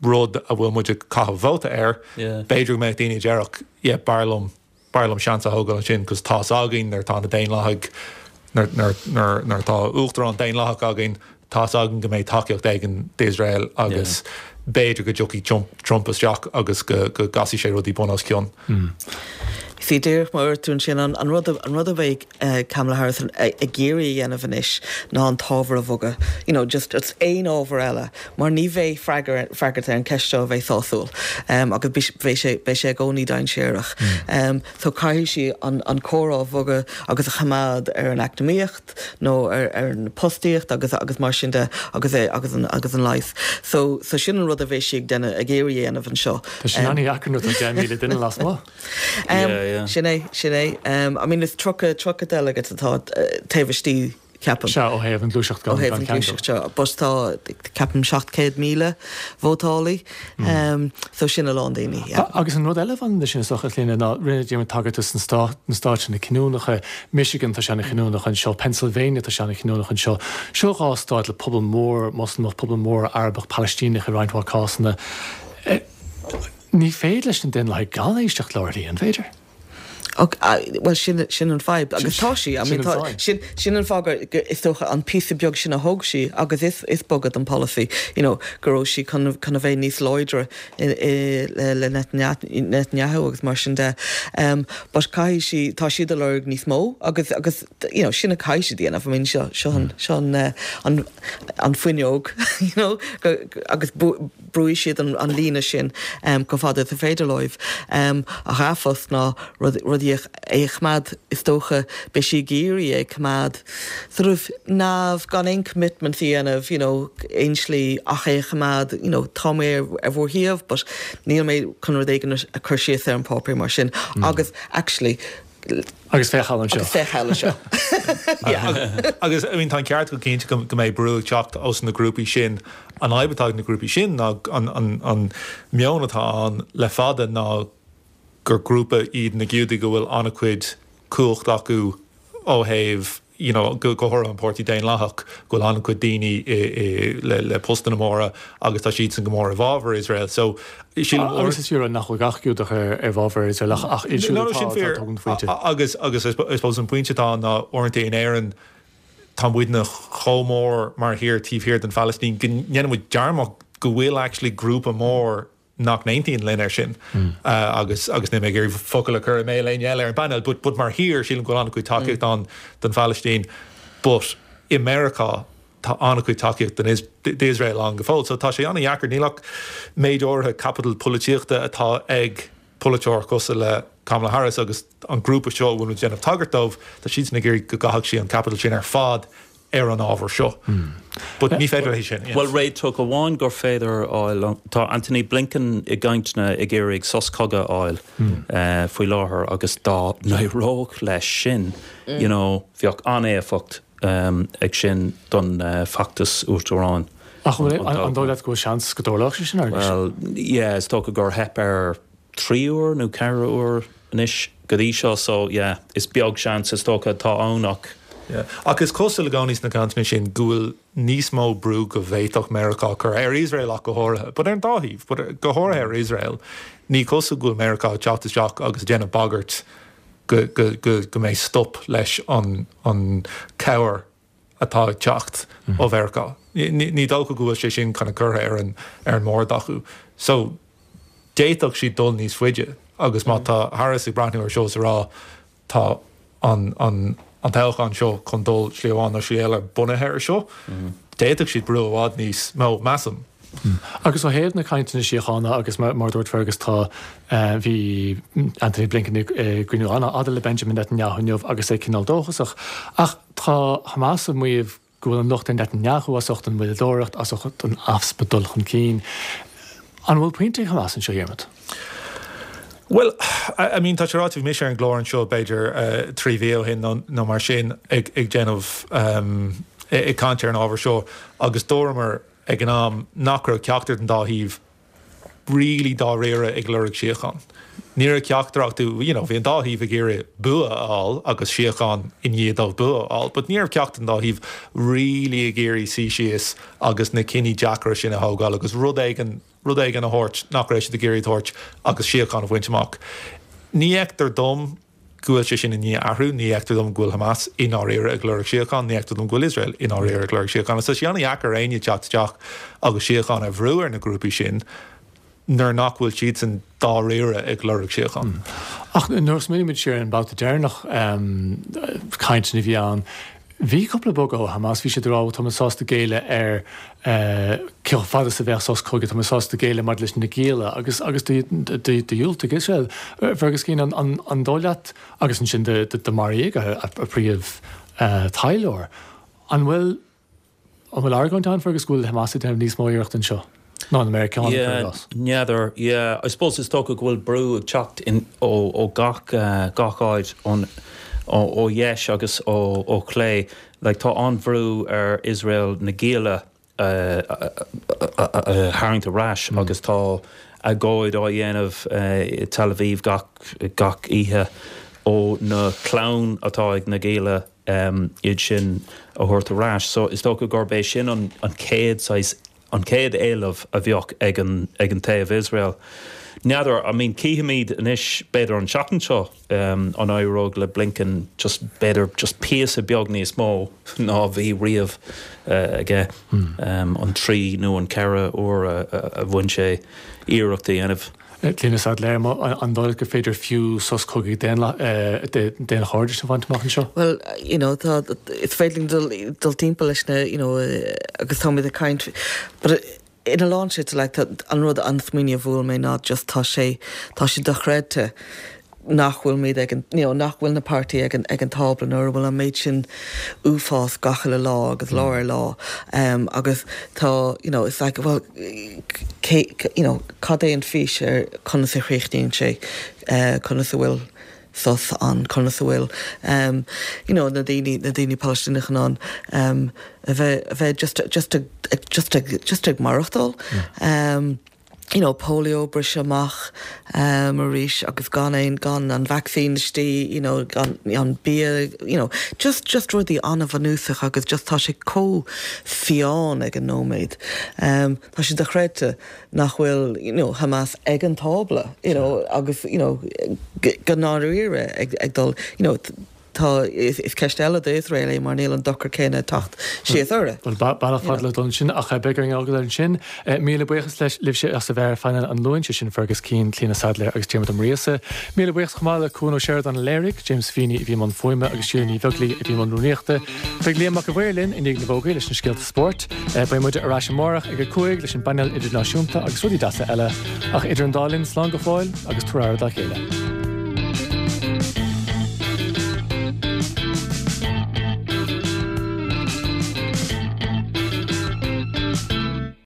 Speaker 5: rud a bhfuil muid ag caitheamh vóta air, b'fhéidir go mbeadh daoine a déarfadh yeah, b'fhearr liom B'fhearr liom seans a thógáil ansin 'cause tá's againn nuair atá na Daonlathaigh, nuair atá uachtarán Daonlathach againn, tá's againn go mbeidh tacaíocht éigin d'Iosrael agus b'fhéidir go dtiocfaidh Trump isteach agus go gcasfaidh sé rudaí bun os cionn.
Speaker 4: See, díreach mar a dúirt tú ansin, an rud an rud a bheidh Kamala Harris ag iarraidh a dhéanamh anois ná an t-ábhar a bhogadh, you know, just aon ábhar eile. mar ní bheidh freagairt ar an cheist seo a bheidh sásúil agus beidh sé beidh sé i gcónaí dainséarach. So caithfidh sí an an comhrá a bhogadh agus a choimeád ar an eacnamaíocht nó ar ar an postaíocht agus agus mar sin de agus é agus an agus an leigheas. So so sin an rud a bheidh sí ag déanamh ag iarraidh a dhéanamh anseo.
Speaker 1: Tá sin an-dheacair nuair atá 10,000 duine lasmuigh.
Speaker 4: Sin é, sin é. I mean is 30, 30 delegate atá taobh istigh. ceapaim.
Speaker 1: Sea, ó thaobh an ghluaiseacht gan
Speaker 4: Ó thaobh an ghluaiseacht seo. But tá, ceapaim, 700,000 vótálaí. So sin a lán daoine, yeah.
Speaker 1: Agus an rud eile a bhaineann leis sin is dócha, a Chlíona, ná rinne Diarmuid tagairt dos na na stáit na cinniúnacha, Michigan, tá sé an-chinniúnach anseo, Pennsylvania, tá sé an-chinniúnach anseo. Seo dhá stát le pobal mór Moslamach, pobal mór Arabach, Palaistíneach i roinnt mhaith cásanna. Ní féidir leis na Daonlathaigh gan éisteacht le RTÉ, an féidir?
Speaker 4: Bhuel, sin, sin an fadhb. Agus tá sí, I mean, tá, sin, sin an fáth gur, is dócha, an píosa beag sin a thóg sí, agus is, is bogadh don polasaí, you know, go raibh sí chun, chun a bheith níos láidre i, i, le, le Netanyahu agus mar sin de. But caithfidh sí, tá siad ag lorg níos mó agus, agus, you know, sin a caithfidh siad a dhéanamh. I mean, seo, seo an, seo an, an, an fuinneog, you know, go, agus brúfaidh siad an, an líne sin chomh fada is is féidir leo. Ach fós ná rud, rudaí a, é a choimeád, is dócha, beidh sí ag iarraidh é a choimeád sort of neamh, gan aon commitments a dhéanamh, you know, aon slí ach é a choimeád, you know, tá mé ar, ar bhur thaobh but níl mé chun rud éigin a chur síos ar an páipéar mar sin. Agus actually,
Speaker 1: Agus féach thall anseo.
Speaker 4: Agus féach thall anseo.
Speaker 5: Yeah. Agus, I mean, tá an ceart agat cinnte go mbeidh brú ag teacht ós na grúpaí sin. An fhadhb atá ag na grúpaí sin ná an meon atá ann le fada ná gur grúpa iad na Giúdaigh go bhfuil an-chuid cumhacht acu ó thaobh you know, go háirithe an Páirtí Daonlathach, go bhfuil an-chuid daoine i, i, le, le postanna móra agus tá siadsan go mór i bhfabhar Iosrael. So,
Speaker 1: sílim uair. Agus is fíor nach bhfuil gach Giúdach ar, i bhfabhar Iosrael ach, ach iad siúd
Speaker 5: atá, atá ag tógaint phointe. Agus, agus I suppose an pointe atá ann ná uaireanta in Éirinn tá muidne chomh mór mar thír taobh thiar den Phalaistín go ndéanann muid dearmad go bhfuil actually grúpa mór nach n-aontaíonn linn air sin agus agus níl mé ag iarraidh focal a chur i mbéal éinne eile ar an bpainéal but but mar thír sílim go bhfuil an-chuid tacaíocht ann don Phalaistín but i Meiriceá tá an-chuid tacaíocht don d'Iosrael ann go fóill so tá sé an-dheacair níl ach méid áirithe capital polaitíochta atá ag polaiteoir cosúil le Kamala Harris agus an grúpa seo a bhfuil muid ag déanamh tagairt dóibh tá siadsan ag iarraidh go gcaithfeadh sí an capital sin ar fad ar an ábhar seo. But ní féidir léi sin.
Speaker 2: Bhuel, réiteach amháin gur féidir a fháil, tá Antony Blinken i gcainteanna ag iarraidh sos cogaidh a fháil faoi láthair agus dá n-éireodh leis sin, you know, bheadh an-éifeacht ag sin don feachtas uachtaráin.
Speaker 1: Ach an dóigh leat go bhfuil seans go dtarlódh sé sin,
Speaker 2: Fhearghuis? Bhuel, yeah, is dócha gur theip air 3 uair nó 4 uair anois go dtí seo so yeah is beag seans is dócha atá ann ach.
Speaker 5: Yeah. Ach is cosúil i gcónaí sna cainteanna sin go bhfuil níos mó brú go bhféadfadh Meiriceá cur ar Iosrael ach go háirithe, but ar an dá thaobh, but go háirithe ar Iosrael, ní cosúil go bhfuil Meiriceá ag teacht isteach agus ag déanamh bagairt go, go, go, go mbeidh stop leis an, an cabhair atá ag teacht ó Mheiriceá. Ní dócha go bhfuil sé sin kind of curtha ar an, ar an mbord acu. So, d'fhéadfadh siad dul níos faide agus má tá Harris ag breathnú ar seo is a rá tá an an an toghchán seo chun dul slí amháin nó slí eile bunaithe ar seo, d'fhéadfadh siad brú i bhfad níos mó, measaim.
Speaker 1: Agus ó thaobh na cainteanna síochána agus mar a dúirt Fergus tá bhí Antony Blinken i gcruinniú an-fhada le Benjamin Netanyahu inniu agus é cineál dóchasach ach tá Hamas ag maíomh go bhfuil an locht ar Netanyahu as ucht an mhoilleadóireacht, as ucht an easpa dul chun cinn. An bhfuil pointe ag Hamas anseo, a Dhiarmaid?
Speaker 5: Bhuel, I mean, tá sé ráite, bhí mise ar an gclár anseo b'fhéidir 3 mhí ó shin nó mar sin ag déanamh, ag caint ar an ábhar seo agus dúramar ag an am nach raibh ceachtar den dá thaobh really dáiríre ag lorg síocháin. Ní raibh ceachtar acu, you know, bhí an dá thaobh ag iarraidh bua a fháil agus síocháin i ndiaidh dóibh bua a fháil, but ní raibh ceachtar den dá thaobh really ag iarraidh suí síos agus na cinní deacra sin a thógáil agus rud éigin, rud éigin a thabhairt nach raibh siad ag iarraidh a thabhairt agus síocháin a bhaint amach. Ní fheictear dom go bhfuil sé sin i ndiaidh athrú. Ní fheictear dom go bhfuil Hamas i ndáiríre ag lorg síocháin. Ní fheictear dom go bhfuil Iosrael i ndáiríre ag lorg síocháin. Agus tá sé an-dheacair ar éinne teacht isteach agus síocháin a bhrú ar na grúpaí sin nuair nach bhfuil siadsan dáiríre ag lorg síocháin.
Speaker 1: Ach nuair a smaoinímid siar ar an mbabhta deireanach cainteanna a bhí ann, Bhí cúpla bogadh ó Hamas, bhí siad ag rá tá muid sásta géilleadh ar cé chomh fada is a bheadh sos cogaidh, tá muid sásta géilleadh maidir leis na gialla agus agus dhiúltaigh Iosrael. Fergus Keane, an dóigh leat, agus ansin do maraíodh a príomh taidhleoir, an bhfuil An bhfuil argóint ann, Fergus, go bhfuil Hamas ag déanamh níos mó iarracht anseo ná na Meiriceánaigh, cuir i gcás?
Speaker 2: N'fheadar, yeah. I suppose is dócha go bhfuil brú ag teacht in ó ó gach gach áit ón ó ó dheis agus ó ó chlé. Like tá an-bhrú ar Iosrael na gialla a a a tharraingt ar ais agus tá agóid á dhéanamh i Tel Aviv gach gach oíche ó na clann atá ag na gialla iad sin a thabhairt ar ais. So is dócha gurb é sin an chéad saghas, an chéad éileamh a bheadh ag an ag an taobh Iosrael. N'fheadar, I mean cífimid anois b'fhéidir an tseachtain seo an éireoidh le Blinken just b'fhéidir just píosa beag níos mó ná bhí riamh aige an 3 nó an 4 uair a bhain sé iarracht a dhéanamh.
Speaker 1: Clíona Saidléar, an dóigh leat gur féidir fiú sos cogaidh daonchairdis a bhaint amach anseo?
Speaker 4: Bhuel, you know, tá, is féidir linn dul, dul timpeall leis na, you know, agus táimid ag caint, but in a lán slite, like, tá, an rud, an smaoineamh a bhuail mé ná just tá sé, tá sé dochreidte nach bhfuilimid ag an, you know, nach bhfuil na páirtithe ag an, ag an tábla nuair a bhfuil an méid sin uafás gach uile lá agus lá ar lá agus tá, you know, it's like, well, cé, you know, cad é an fís ar conas a chríochnaíonn sé, conas a bhfuil sos ann, conas a bhfuil, you know, na daoine, na daoine Palaistíneacha in ann a bheith, a bheith just, just ag, just ag, just ag maireachtáil. You know, polio briseadh amach arís agus gan aon, gan an vacsaín istigh, you know, gan an bia, you know, just, just rudaí an-bhunúsach agus just tá sé chomh fiáin ag an nóiméad. Tá sé dochreidte nach bhfuil, you know, Hamas ag an tábla, you know, agus, you know, go ndáiríre ag, ag dul, you know, Tá, is ceist eile d'Iosrael é mar níl an dochar céanna ag teacht síos orthu.
Speaker 1: Bhuel, bealach fada le dul ansin ach beidh orainn fágáil ansin. Míle buíochas libhse as a bheith ar phainéal an Luain, sé sin Fergus Keane, Clíona Saidléar agus Diarmuid Ó Muiríosa. Míle buíochas chomh maith le Cuan Ó Seireadáin a léirigh, James Feeney a bhí i mbun fuaime agus Síle Ní Bheaglaoí a bhí i mbun rúnaíochta. Beidh Liam Mac a' Mhaoir linn i ndiaidh na bhfógraí leis na scéalta spóirt. Beidh muide ar ais amárach ag 5 leis an bpainéal idirnáisiúnta agus rudaí deasa eile. Ach idir an dá linn, slán go fóill agus tabhair aire dá chéile.